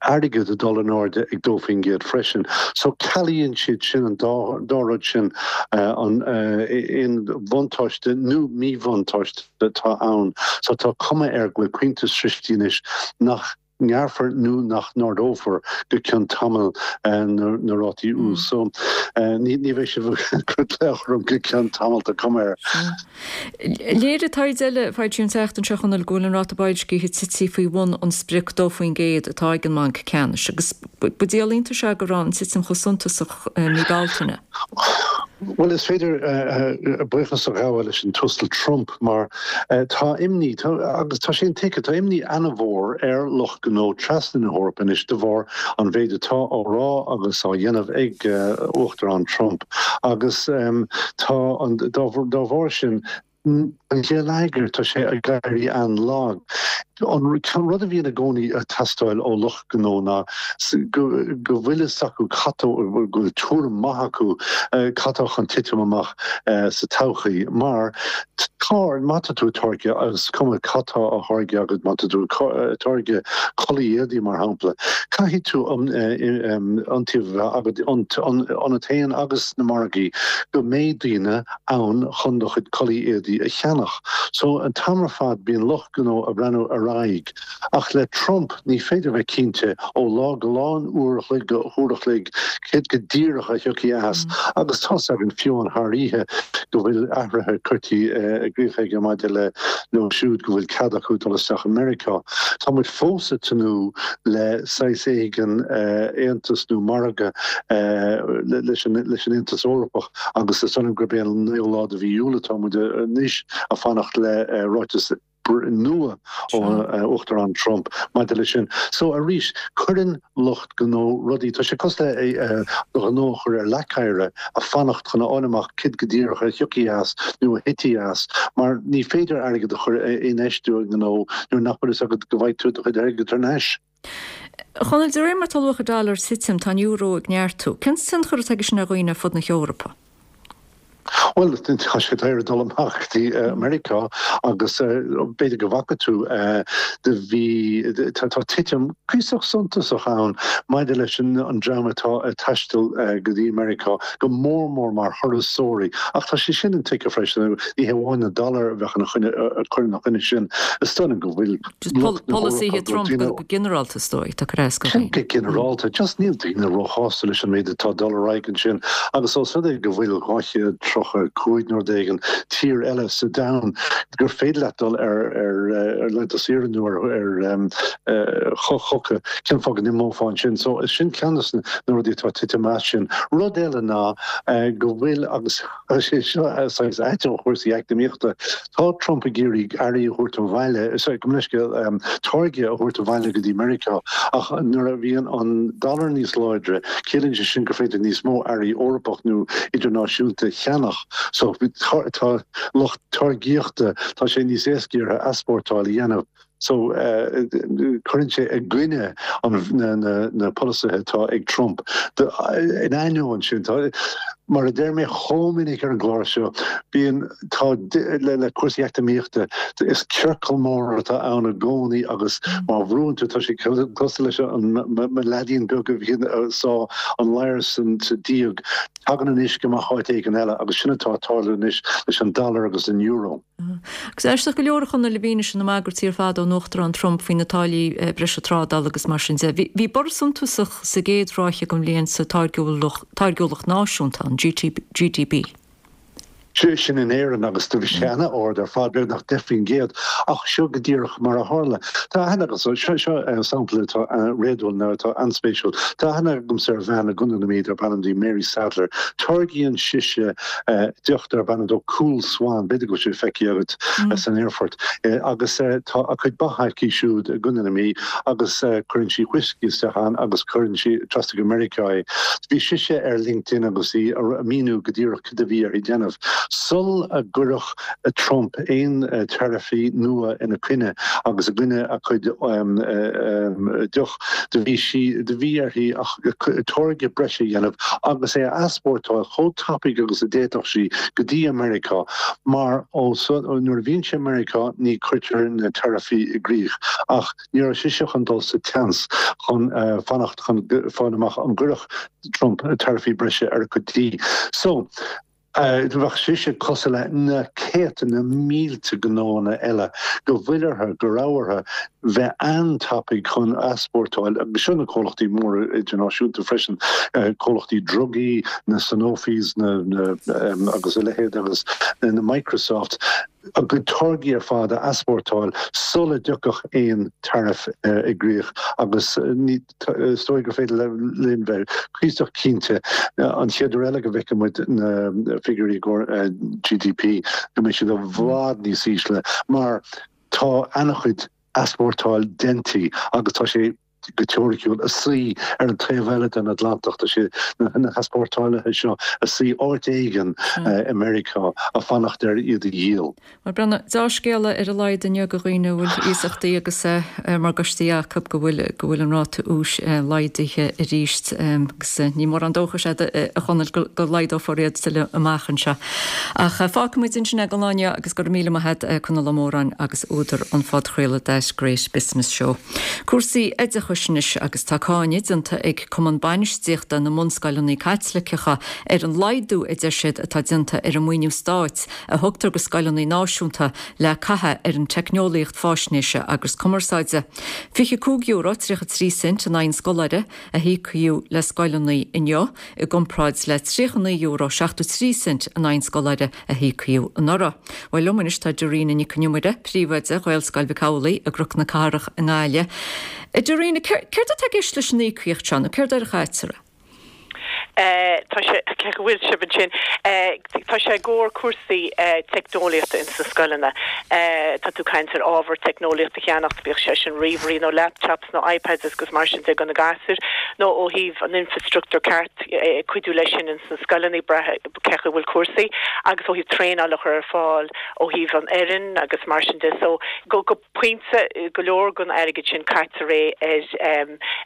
airgid ag dul in airde ag 2% freisin. So cealaíonn siad sin an dá, dá rud sin an aon bhuntáiste nó míbhuntáiste. atá ann. So tá cuma air go bhfuil pointe sroichte anois nach ngearrfar nó nach n-ardófar go ceann tamaill na rátaí úis. So ní bheidh sibh ag cur glaoch orm go ceann tamaill, tá cuma air. Léirigh taighde eile a foilsíodh an tseachtain seo, a Chonaill, go bhfuil an ráta boilscithe tite faoi bhun an sprioc 2% atá ag an mBanc Ceannais agus ba díol iontais é go raibh an titim chomh suntasach i mí Bealtaine. Bhuel, is féidir buíochas a ghabháil leis an tUasal Trump mar tá imní, agus tá sé intuigthe, tá imní ana-mhór ar lucht gnó trasna na hEorpa anois de bharr an mhéid atá á rá agus á dhéanamh ag Uachtarán Trump agus tá an, dá bharr sin, An geilleagar, tá sé ag éirí an-lag. An rud a bhíonn i gcónaí ag teastáil ó lucht gnó ná go bhfuil fhios acu cad tá, go bhfuil tuairim maith acu cad tá chun titim amach sa todhchaí. Mar tá, má tá tú ag táirgeadh, agus is cuma cad tá á tháirgeadh agat, má tá tú ag táirgeadh culaith éadaí mar shampla, caithfidh tú iontaoibh a bheith agat ionat féin agus sna margaí go mbeidh daoine ann chun do chuid culaith éadaí a cheannach. So, an t-am ar fad bíonn lucht gnó ag breathnú ar aghaidh. Ach le Trump ní féidir bheith cinnte ó lá go lá, ón uair a chloig go huair a chloig, céard go díreach a thiocfaidh as. Agus tá's againn fiú amháin thar oíche go bhfuil athruithe curtha i gcrích aige maidir le leo siúd go bhfuil cead acu dul isteach i Meiriceá. Tá muid fós ag tnúth le saghas éigin aontas nó margadh leis an Aontas Eorpach. Agus is dóigh liom gurb é an naoú lá de mhí Iúil atá muid anois ag fanacht le ráiteas nua ó Uachtarán Trump maidir leis sin. So arís, cuireann lucht gnó rudaí, tá sé cosúil le do ghnó a chur ar leac oighir ag fanacht chun a fháil amach céard go díreach a thiocfaidh as nó a thitfidh as, mar ní féidir airgead a chur a infheistiú i ngnó nuair nach bhfuil fhios agat go bhfaighidh tú do chuid airgid thar n-ais. A Chonaill, de réir mar tá luach an dollar ag titim, tá an euro ag neartú. Cén tionchar atá aige sin ar dhaoine ar fud na hEorpa? Bhuel, tá sé daor dul amach go dtí Meiriceá agus b'fhéidir go bhfaca tú do bhí, tá titim cuíosach suntasach ann maidir leis an dream atá ag taisteal go dtí Meiriceá, go mór mór mar thurasóirí. Ach tá sé sin intuigthe freisin, ní hé amháin an dollar a bheadh ina choinne, ag cur ina choinne sin, is dóigh liom go bhfuil. Just polasaithe Trump go ginearálta is dóigh, tá cur as go Go ginearálta, just níl daoine róshásta leis an méid atá ag dul ar aghaidh ansin agus ós rud é go bhfuil 235 nó rud éigin tír eile sa domhan gur féidir leat dul ar ar laethanta saoire nó ar ar chucu, cén fáth go n-imeofá ansin? So sin ceann de na rudaí atá ag titim as sin. Rud eile ná go bhfuil agus tá sé seo saghas ait ó chúrsaí eacnamaíochta, Tá Trump ag iarraidh earraí a thabhairt abhaile, sorry, gabh mo leithscéal, táirgí a thabhairt abhaile go dtí Meiriceá, ach nuair a bhíonn an dollar níos láidre, ciallaíonn sé sin gur féidir níos mó earraí Eorpach nó idirnáisiúnta a cheannach. So, tá lucht táirgíochta, tá sé níos éasca orthu easpórtáil a dhéanamh. So, cuireann sé i gcoinne na polasaithe atá ag Trump. In ainneoin sin, tá, mar a deir mé chomh minic ar an gclár seo, bíonn, tá, le cúrsaí eacnamaíochta, is ciorcal mór atá ann i gcónaí agus má bhrúann tú, tá sé cosúil leis an mo leaidín beag a bhíonn ag sá an ladhar sa díog, tagann an uisce amach áit éigin eile agus sin atá ag tarlú anois leis an dollar agus an euro. Agus aisteach go leor a Chonaill i bhfianaise na mbagairtí ar fad ón Uachtarán Trump faoi na táillí breise trádála agus mar sin de. Bhí borradh suntasach sa gcéad ráithe den bhliain sa táirgiúlacht náisiúnta, an GDP. Sin in Éirinn agus do bhí sé ana-ard ar fad, beagnach 10%, ach seo go díreach mar a tharla. Tá aithne agamsa, seo sampla atá réadúil nó atá an-spéisiúil, tá aithne agamsa ar bhean i gContae na Mí darb ainm di Mary Sadler. Táirgíonn sise deoch darb ainm dó Coole Swan, b'fhéidir go bhfuil sé feicthe agat san aerfort, agus tá a cuid ba aici siúd i gContae na Mí agus cuireann sí whiskey isteach ann agus cuireann sí trasna go Meiriceá é. Bhí sise ar LinkedIn agus í ag míniú go díreach cad a bhí uirthi déanamh. Sul a gcuirfeadh Trump aon taraifí nua ina coinne agus i gcoinne a cuid deoch, Do bhí sí, do bhí uirthi táirge breise a dhéanamh agus é a easpórtáil chomh tapaidh agus a d'fhéadfadh sí go dtí Meiriceá mar ó nuair a bhíonn sé i Meiriceá ní cuirtear na taraifí i gcrích. Ach ní raibh sise chun dul sa tseans chun fanacht chun fáil amach an gcuirfeadh Trump taraifí breise ar a cuid dí. So. Bheadh sise cosúil le na céadta, na mílte gnóanna eile go bhfuil orthu, go raibh orthu bheith an-tapaidh chun easpórtáil, agus seo na comhlachtaí móra idirnáisiúnta freisin, comhlachtaí drugaí, na Sanofis na, agus a leithéid agus na Microsoft, a gcuid táirgí ar fad a easpórtáil sula dtiocfadh aon tariff i gcrích agus ní is dóigh gur féidir linn bheith cuíosach cinnte an chéad uair eile go bhfeicfidh muid na figiúirí i gcomhair GDP go mbeidh siad i bhfad níos ísle mar tá an-chuid easpórtáil déanta agus tá sé go teoiriciúil, ag suí ar an taobh eile den Atlantach. Tá sé, na heaspórtálaithe seo, ag suí áit éigin i Meiriceá ag fanacht ar iad a dhíol. Bhuel, Breandán, deá-scéala ar a laghad inniu do dhaoine a bhfuil iasachtaí agus morgáistí acu go bhfuil go bhfuil an ráta úis laghdaithe arís agus ní mórán dóchais agat a Chonaill go laghdófar iad tuilleadh amach anseo. Ach fágfaimid ansin é don lá inniu agus go raibh míle maith agat Conall Ó Móráin agus údar an phodchraoladh That Great Business Show. Cúrsaí oideachais anois agus tá cáineadh déanta ag Cumann Bainistíochta na mBunscoileanna Caitliceacha ar an laghdú a deir siad atá déanta ar an maoiniú stáit a thugtar go scoileanna náisiúnta le caitheamh ar an teicneolaíocht fáisnéise agus cumarsáide. €25 33 cent in aghaidh an scoláire a híocadh le scoileanna inniu i gcomparáid le €39 73 cent in aghaidh an scoláire a híocadh anuraidh. Bhuel liom anois tá Dorina Nic Con Iomaire, Príomhoide Ghaelscoil Mhic Amhlaigh i gCnoc na Cathrach i nGaillimh. A Dorina, céard atá i gceist leis an íocaíocht seo nó céard air a chaitear é? Tá sé, cé go bhfuil sibh ansin, tá sé i gcomhair cúrsaí teicneolaíochta ins na scoileanna. Tá tú ag caint ar ábhar teicneolaíochta a cheannacht, bíodh sé sin ríomhairí nó laptops nó iPads agus mar sin de do na gasúir, nó ó thaobh an infreastruchtúr ceart cuidiú leis sin ins na scoileanna, brath cé chaoi bhfuil cúrsaí, agus ó thaobh traenáil a chur ar fáil ó thaobh an fhoireann agus mar sin de. So go, go. pointe, go leor den airgead sin caitear é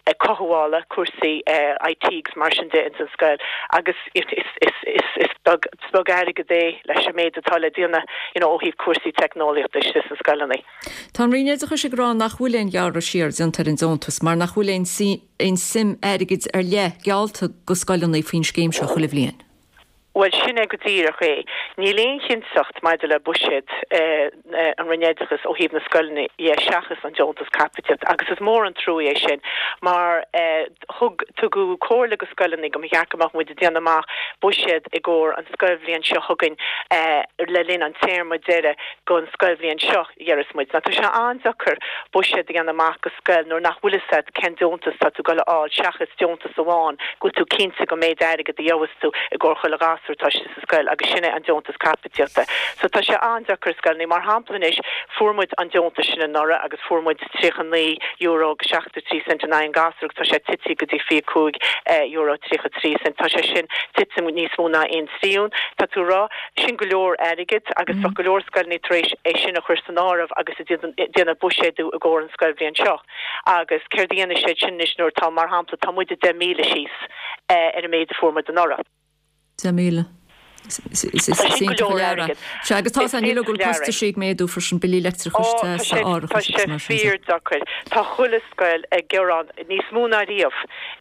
ar cothabhála, cúrsaí IT agus mar sin de ins an. scoil agus is is beag is beag airgead é leis an méid atá le déanamh you know ó thaobh cúrsaí teicneolaíochta istigh sna scoileanna. Tá an Roinn Oideachais ag rá nach bhfuil aon ghearradh siar déanta ar an deontas mar nach bhfuil aon aon suim airgid ar leith geallta go scoileanna faoin scéim seo chuile bhliain. Bhuel, sin é go díreach é. Níl aon chinnteacht maidir le buiséad an Roinn Oideachais ó thaobh na scoileanna dhe seachas an deontas caipitíochta agus is mór an trua é sin mar thug, tugadh comhairle go scoileanna go mba cheart go mbeadh muid ag déanamh amach buiséad i gcomhair an scoilbhliain seo chugainn le linn an téarma deiridh gon scoilbhliain seo. dheireas muid. Now tá sé an-deacair buiséad a dhéanamh amach go scoil nuair nach bhfuil fhios a't cén deontas tá tú ag dul a fháil seachas deontas amháin go bhfuil tú cinnte go méid airgead a gheobhas tú i gcomhair chuile ghasúr atá istigh sa scoil agus sin é an deontas caipitíochta. So tá sé an-deacair i scoileanna. Mar shampla anois fuair muid an deontas sin anuraidh agus fuair muid €39 agus 73 cent in aghaidh an ghasúir agus tá sé tite go dtí €25 33 cent. Tá sé sin tite níos mó ná aon triún. Tá tú a rá. Sin go leor airgid agus bheadh go leor scoileanna tar éis é sin a chur san áireamh agus ag déanamh buiséadú i gcomhair an scoilbhliain seo. Agus céard a dhéanfaidh siad sin anois nuair atá, mar shampla, tá muide 10,000 síos ar an méid a fuair muid anuraidh. 10,000. Is sin go leor airgid. Sea, agus tá a níl go bhfuil costaisí ag méadú freisin, billí leictreachais, Ó, tá sé, tá sé fíordheacair. Tá chuile scoil ag gearán níos mó ná riamh.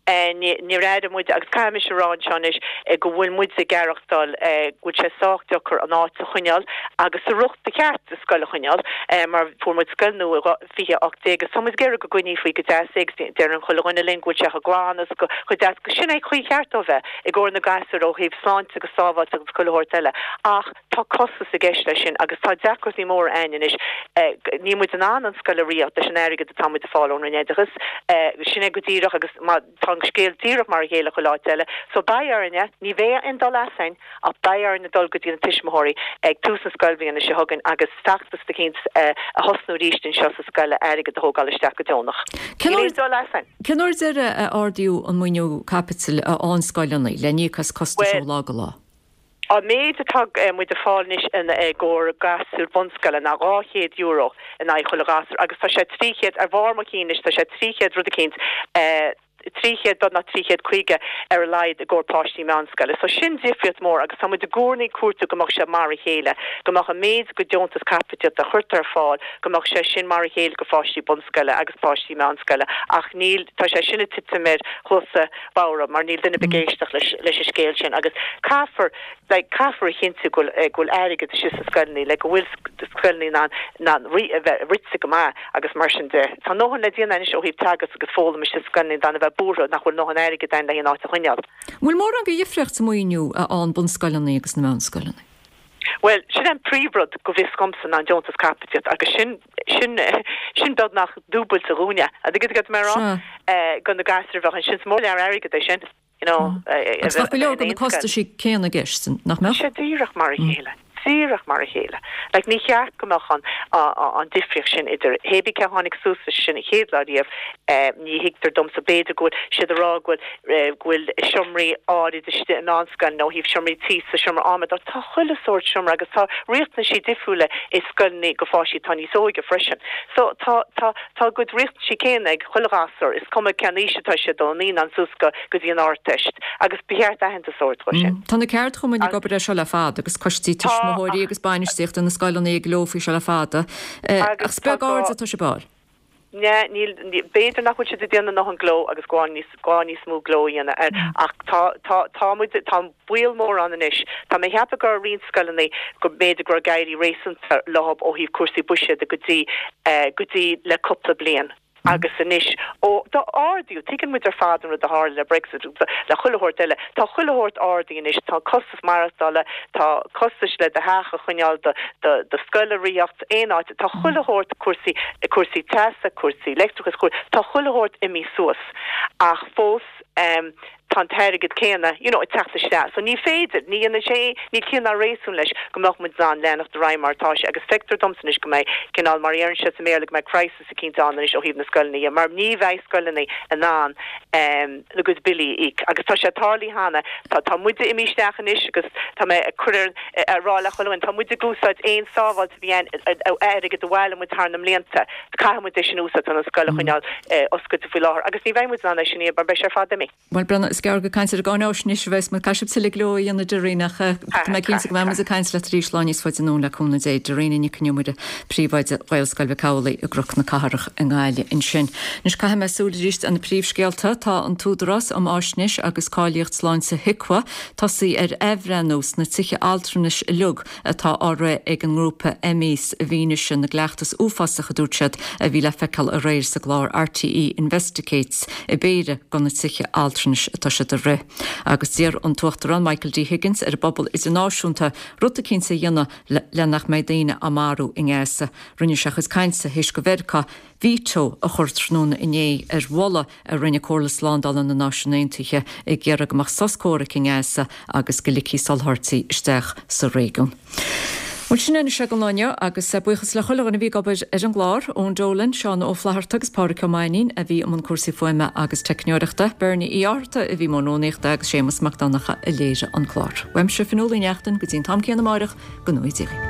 Níor airigh muid, agus caithfidh mise a rá anseo anois, go bhfuil muid ag aireachtáil go bhfuil sé sách deacair an áit a choinneáil agus sa riocht ba cheart do scoil a choinneáil mar fuair muid scoil nua i 2018 agus tá muid ag iarraidh go gcoinneofaí go deas é agus deireann chuile dhuine linn go bhfuil sé chomh glan agus chomh deas agus sin é an chaoi cheart dó bheith i gcomhair na gasúr ó thaobh sláinte agus sábháilteacht agus chuile shórt eile ach Tá costas i gceist leis sin agus tá deacrachtaí móra a'ainn anois. Níl muid in ann an scoil a ritheacht leis an airgead atá muid ag fáil ón Roinn Oideachais. Sin é go díreach agus má tá an scéal díreach mar a chéile chuile áit eile. So beidh orainne, ní bheidh aon dul as a'ainn ach beidh orainne dul go dtí na tuismitheoirí ag tús na scoilbhliana seo chugainn agus feachtas eicínt a thosnú arís anseo sa scoil le airgead a thógáil isteach go deonach. Níl aon dul as a'ainn. Cén uair deireadh a ardaíodh an maoiniú caipitil a fhaigheann scoileanna le n-íoc as costais ó lá go lá? An méid atá muid ag fáil anois i gcomhair gasúr bunscoile ná €200 in aghaidh chuile ghasúr agus tá sé 300, ar bharr mo chinn anois, tá sé 300 rud eicínt, 300 beagnach 350 ar a laghad i gcomhair páistí meánscoile. So sin difríocht mór agus tá muid i gcónaí ag cuartú go mbeadh sé mar a chéile, go mbeadh an méid go deontas caipitíochta a chuirtear ar fáil, go mbeadh sé sin mar a chéile go pháistí bunscoile agus páistí meánscoile ach níl, tá sé sin ag titim ar chluasa bhodhar mar níl duine ar bith ag éisteacht leis leis an scéal sin agus caithfear like caithfear a chinntiú go bhfuil go bhfuil airgead istigh sna scoileanna like go bhfuil scoileanna in ann in ann ri a bheith rite go maith agus mar sin de. Tá a ndóthain le déanamh anois ó thaobh teagasc agus foghlaim istigh sna scoileanna gan a bheith buartha nach bhfuil a ndóthain airgid ann le an áit a choinneáil. An bhfuil mórán de dhifríocht sa mhaoiniú a fhaigheann bunscoileanna agus na meánscoileanna? Bhuel, sin é an príomhrud go bhfios dhomsa ná an deontas caipitíochta agus sin, sin, sin beagnach dúbailte dhúinne. An dtuigeann tú cad tá mé a rá? Sea. Go na gasúir a bheadh ansin. Is mór lear airgead é sin, you know, Agus bheadh go leor de na costaisí céanna i gceist, nach mbeadh? Tá sé díreach mar a chéile. Díreach mar a chéile. Like, ní cheart go mbeadh an, an difríocht sin idir, hé bí cé a tháinig suas leis sin an chéad lá riamh, ní thuigtear domsa, b'fhéidir go bhfuil siad a rá go bhfuil, go bhfuil seomraí áirid istigh i meánscoileanna ó thaobh seomraí tíosa, seomra adhmaid, ach tá chuile sórt seomra agus tá riachtanaisí difriúla i scoileanna go pháistí atá níos óige freisin. So tá, tá, tá a gcuid riachtanaisí céanna ag chuile ghasúr, is cuma cén aois atá siad, ó naíonán suas go, go dtí an Ardteist agus ba cheart aitheantas a thabhairt dhó sin. Tá na ceardchumainn ag obair air seo le fada agus coistí tuismitheoirí agus bainistíochta na scoileanna ag gleo faoi seo le fada ach is beag aird atá sibh a fháil. Ní, níl, b'fhéidir nach bhfuil siad ag déanamh a ndóthain gleo agus gá níos, gá níos mó gleo a dhéanamh air ach tá, tá, tá muid, tá baol mór ann anois. Tá mé ag ceapadh go raibh roinnt scoileanna go mb'fhéidir go raibh ag éirí réasúnta leo ó thaobh cúrsaí buiséid go dtí, go dtí le cúpla bliain agus anois ó d'ardaíodh, tuigeann muid ar fad an rud a tharla le Brexit agus le chuile shórt eile, tá chuile shórt ardaithe anois, tá costas maireachtála, tá costais le do theach a choinneáil, do, do, do scoil a ritheacht, aon áit, tá chuile shórt cúrsaí, cúrsaí teasa, cúrsaí leictreachais, cúr, tá chuile shórt imithe suas ach fós tá an t-airgead céanna, you know, ag teacht isteach. So ní féidir, ní dhéanann sé, níl ciall ná réasún leis go mbeadh muid in ann leanacht ar aghaidh mar atá sé agus feictear domsa anois go mbeidh cineál, mar a deireann siad sa mBéarla, go mbeidh crisis eicínt ann anois ó thaobh na scoileanna dhe mar ní bheidh scoileanna in ann a gcuid billí a íoc agus tá sé tarlaithe cheana, tá, tá muide imithe isteach anois agus tá mé ag cur ar, a rá le chuile dhuine, tá muid ag úsáid aon sábháilt a bhí ann, airgead a bhailigh muid thar na mblianta, caithfidh muid é sin a úsáid chun an scoil a choinneáil oscailte faoi láthair agus ní bheidh muid in ann é sin a dhéanamh mar beidh sé ar fad imithe. Bhuel, Brenna, is gearr. gearr gur caint ar an gcáináisnéis a bheas muid. Caithfidh sibh tuilleadh gleo a dhéanamh Doreen ach tá mé cinnte go mbeidh muid ag caint leat arís lá níos faide anonn le cúnamh Dé. Doreen Nic Con Iomaire, Príomhoide Ghaelscoil Mhic Amhlaigh i gCnoc na Cathrach i nGaillimh ansin. Anois caithfidh mé súil arís ar na príomhscéalta. Tá an tÚdarás um Fháisnéis agus Cáilíocht Sláinte, HIQA, tosaithe ar athbhreithniú sna tithe altranais uilig atá á rith ag an ngrúpa Emmes i bhfianaise na gcleachtas uafásach a dúirt siad a bhí le feiceáil aréir sa gclár RTÉ Investigates i bpéire de na tithe altranais atá siad a rith. Agus d'iarr an tUachtarán Michael D Higgins ar an bpobal idirnáisiúnta rud eicínt a dhéanamh le nach mbeidh daoine á marú i nGaza. Rinne sé a chuid cainte théis do Mheiriceá veto a chur tráthnóna inné ar mholadh a rinne Comhairle Slándála na Náisiún Aontaithe ag iarraidh go mbeadh sos comhraic i nGaza agus go ligfí soláthairtí isteach sa réigiún. Bhuel, sin é anois é don lá inniu agus buíochas le chuile dhuine a bhí ag obair ar an gclár, Eoin Dolan, Seán Ó Flatharta agus Pádraic Ó Mainnín a bhí i mbun cúrsaí fuaime agus teicneoireachta, Bernie Uí Fhátharta a bhí i mbun rúnaíochta agus Séamus Mac Donncha a léirigh an clár. Uaimse, Fionnuala Uí Neachtain, go dtí an t-am céanna amáireach, go ngnóthaí Dia dhaoibh.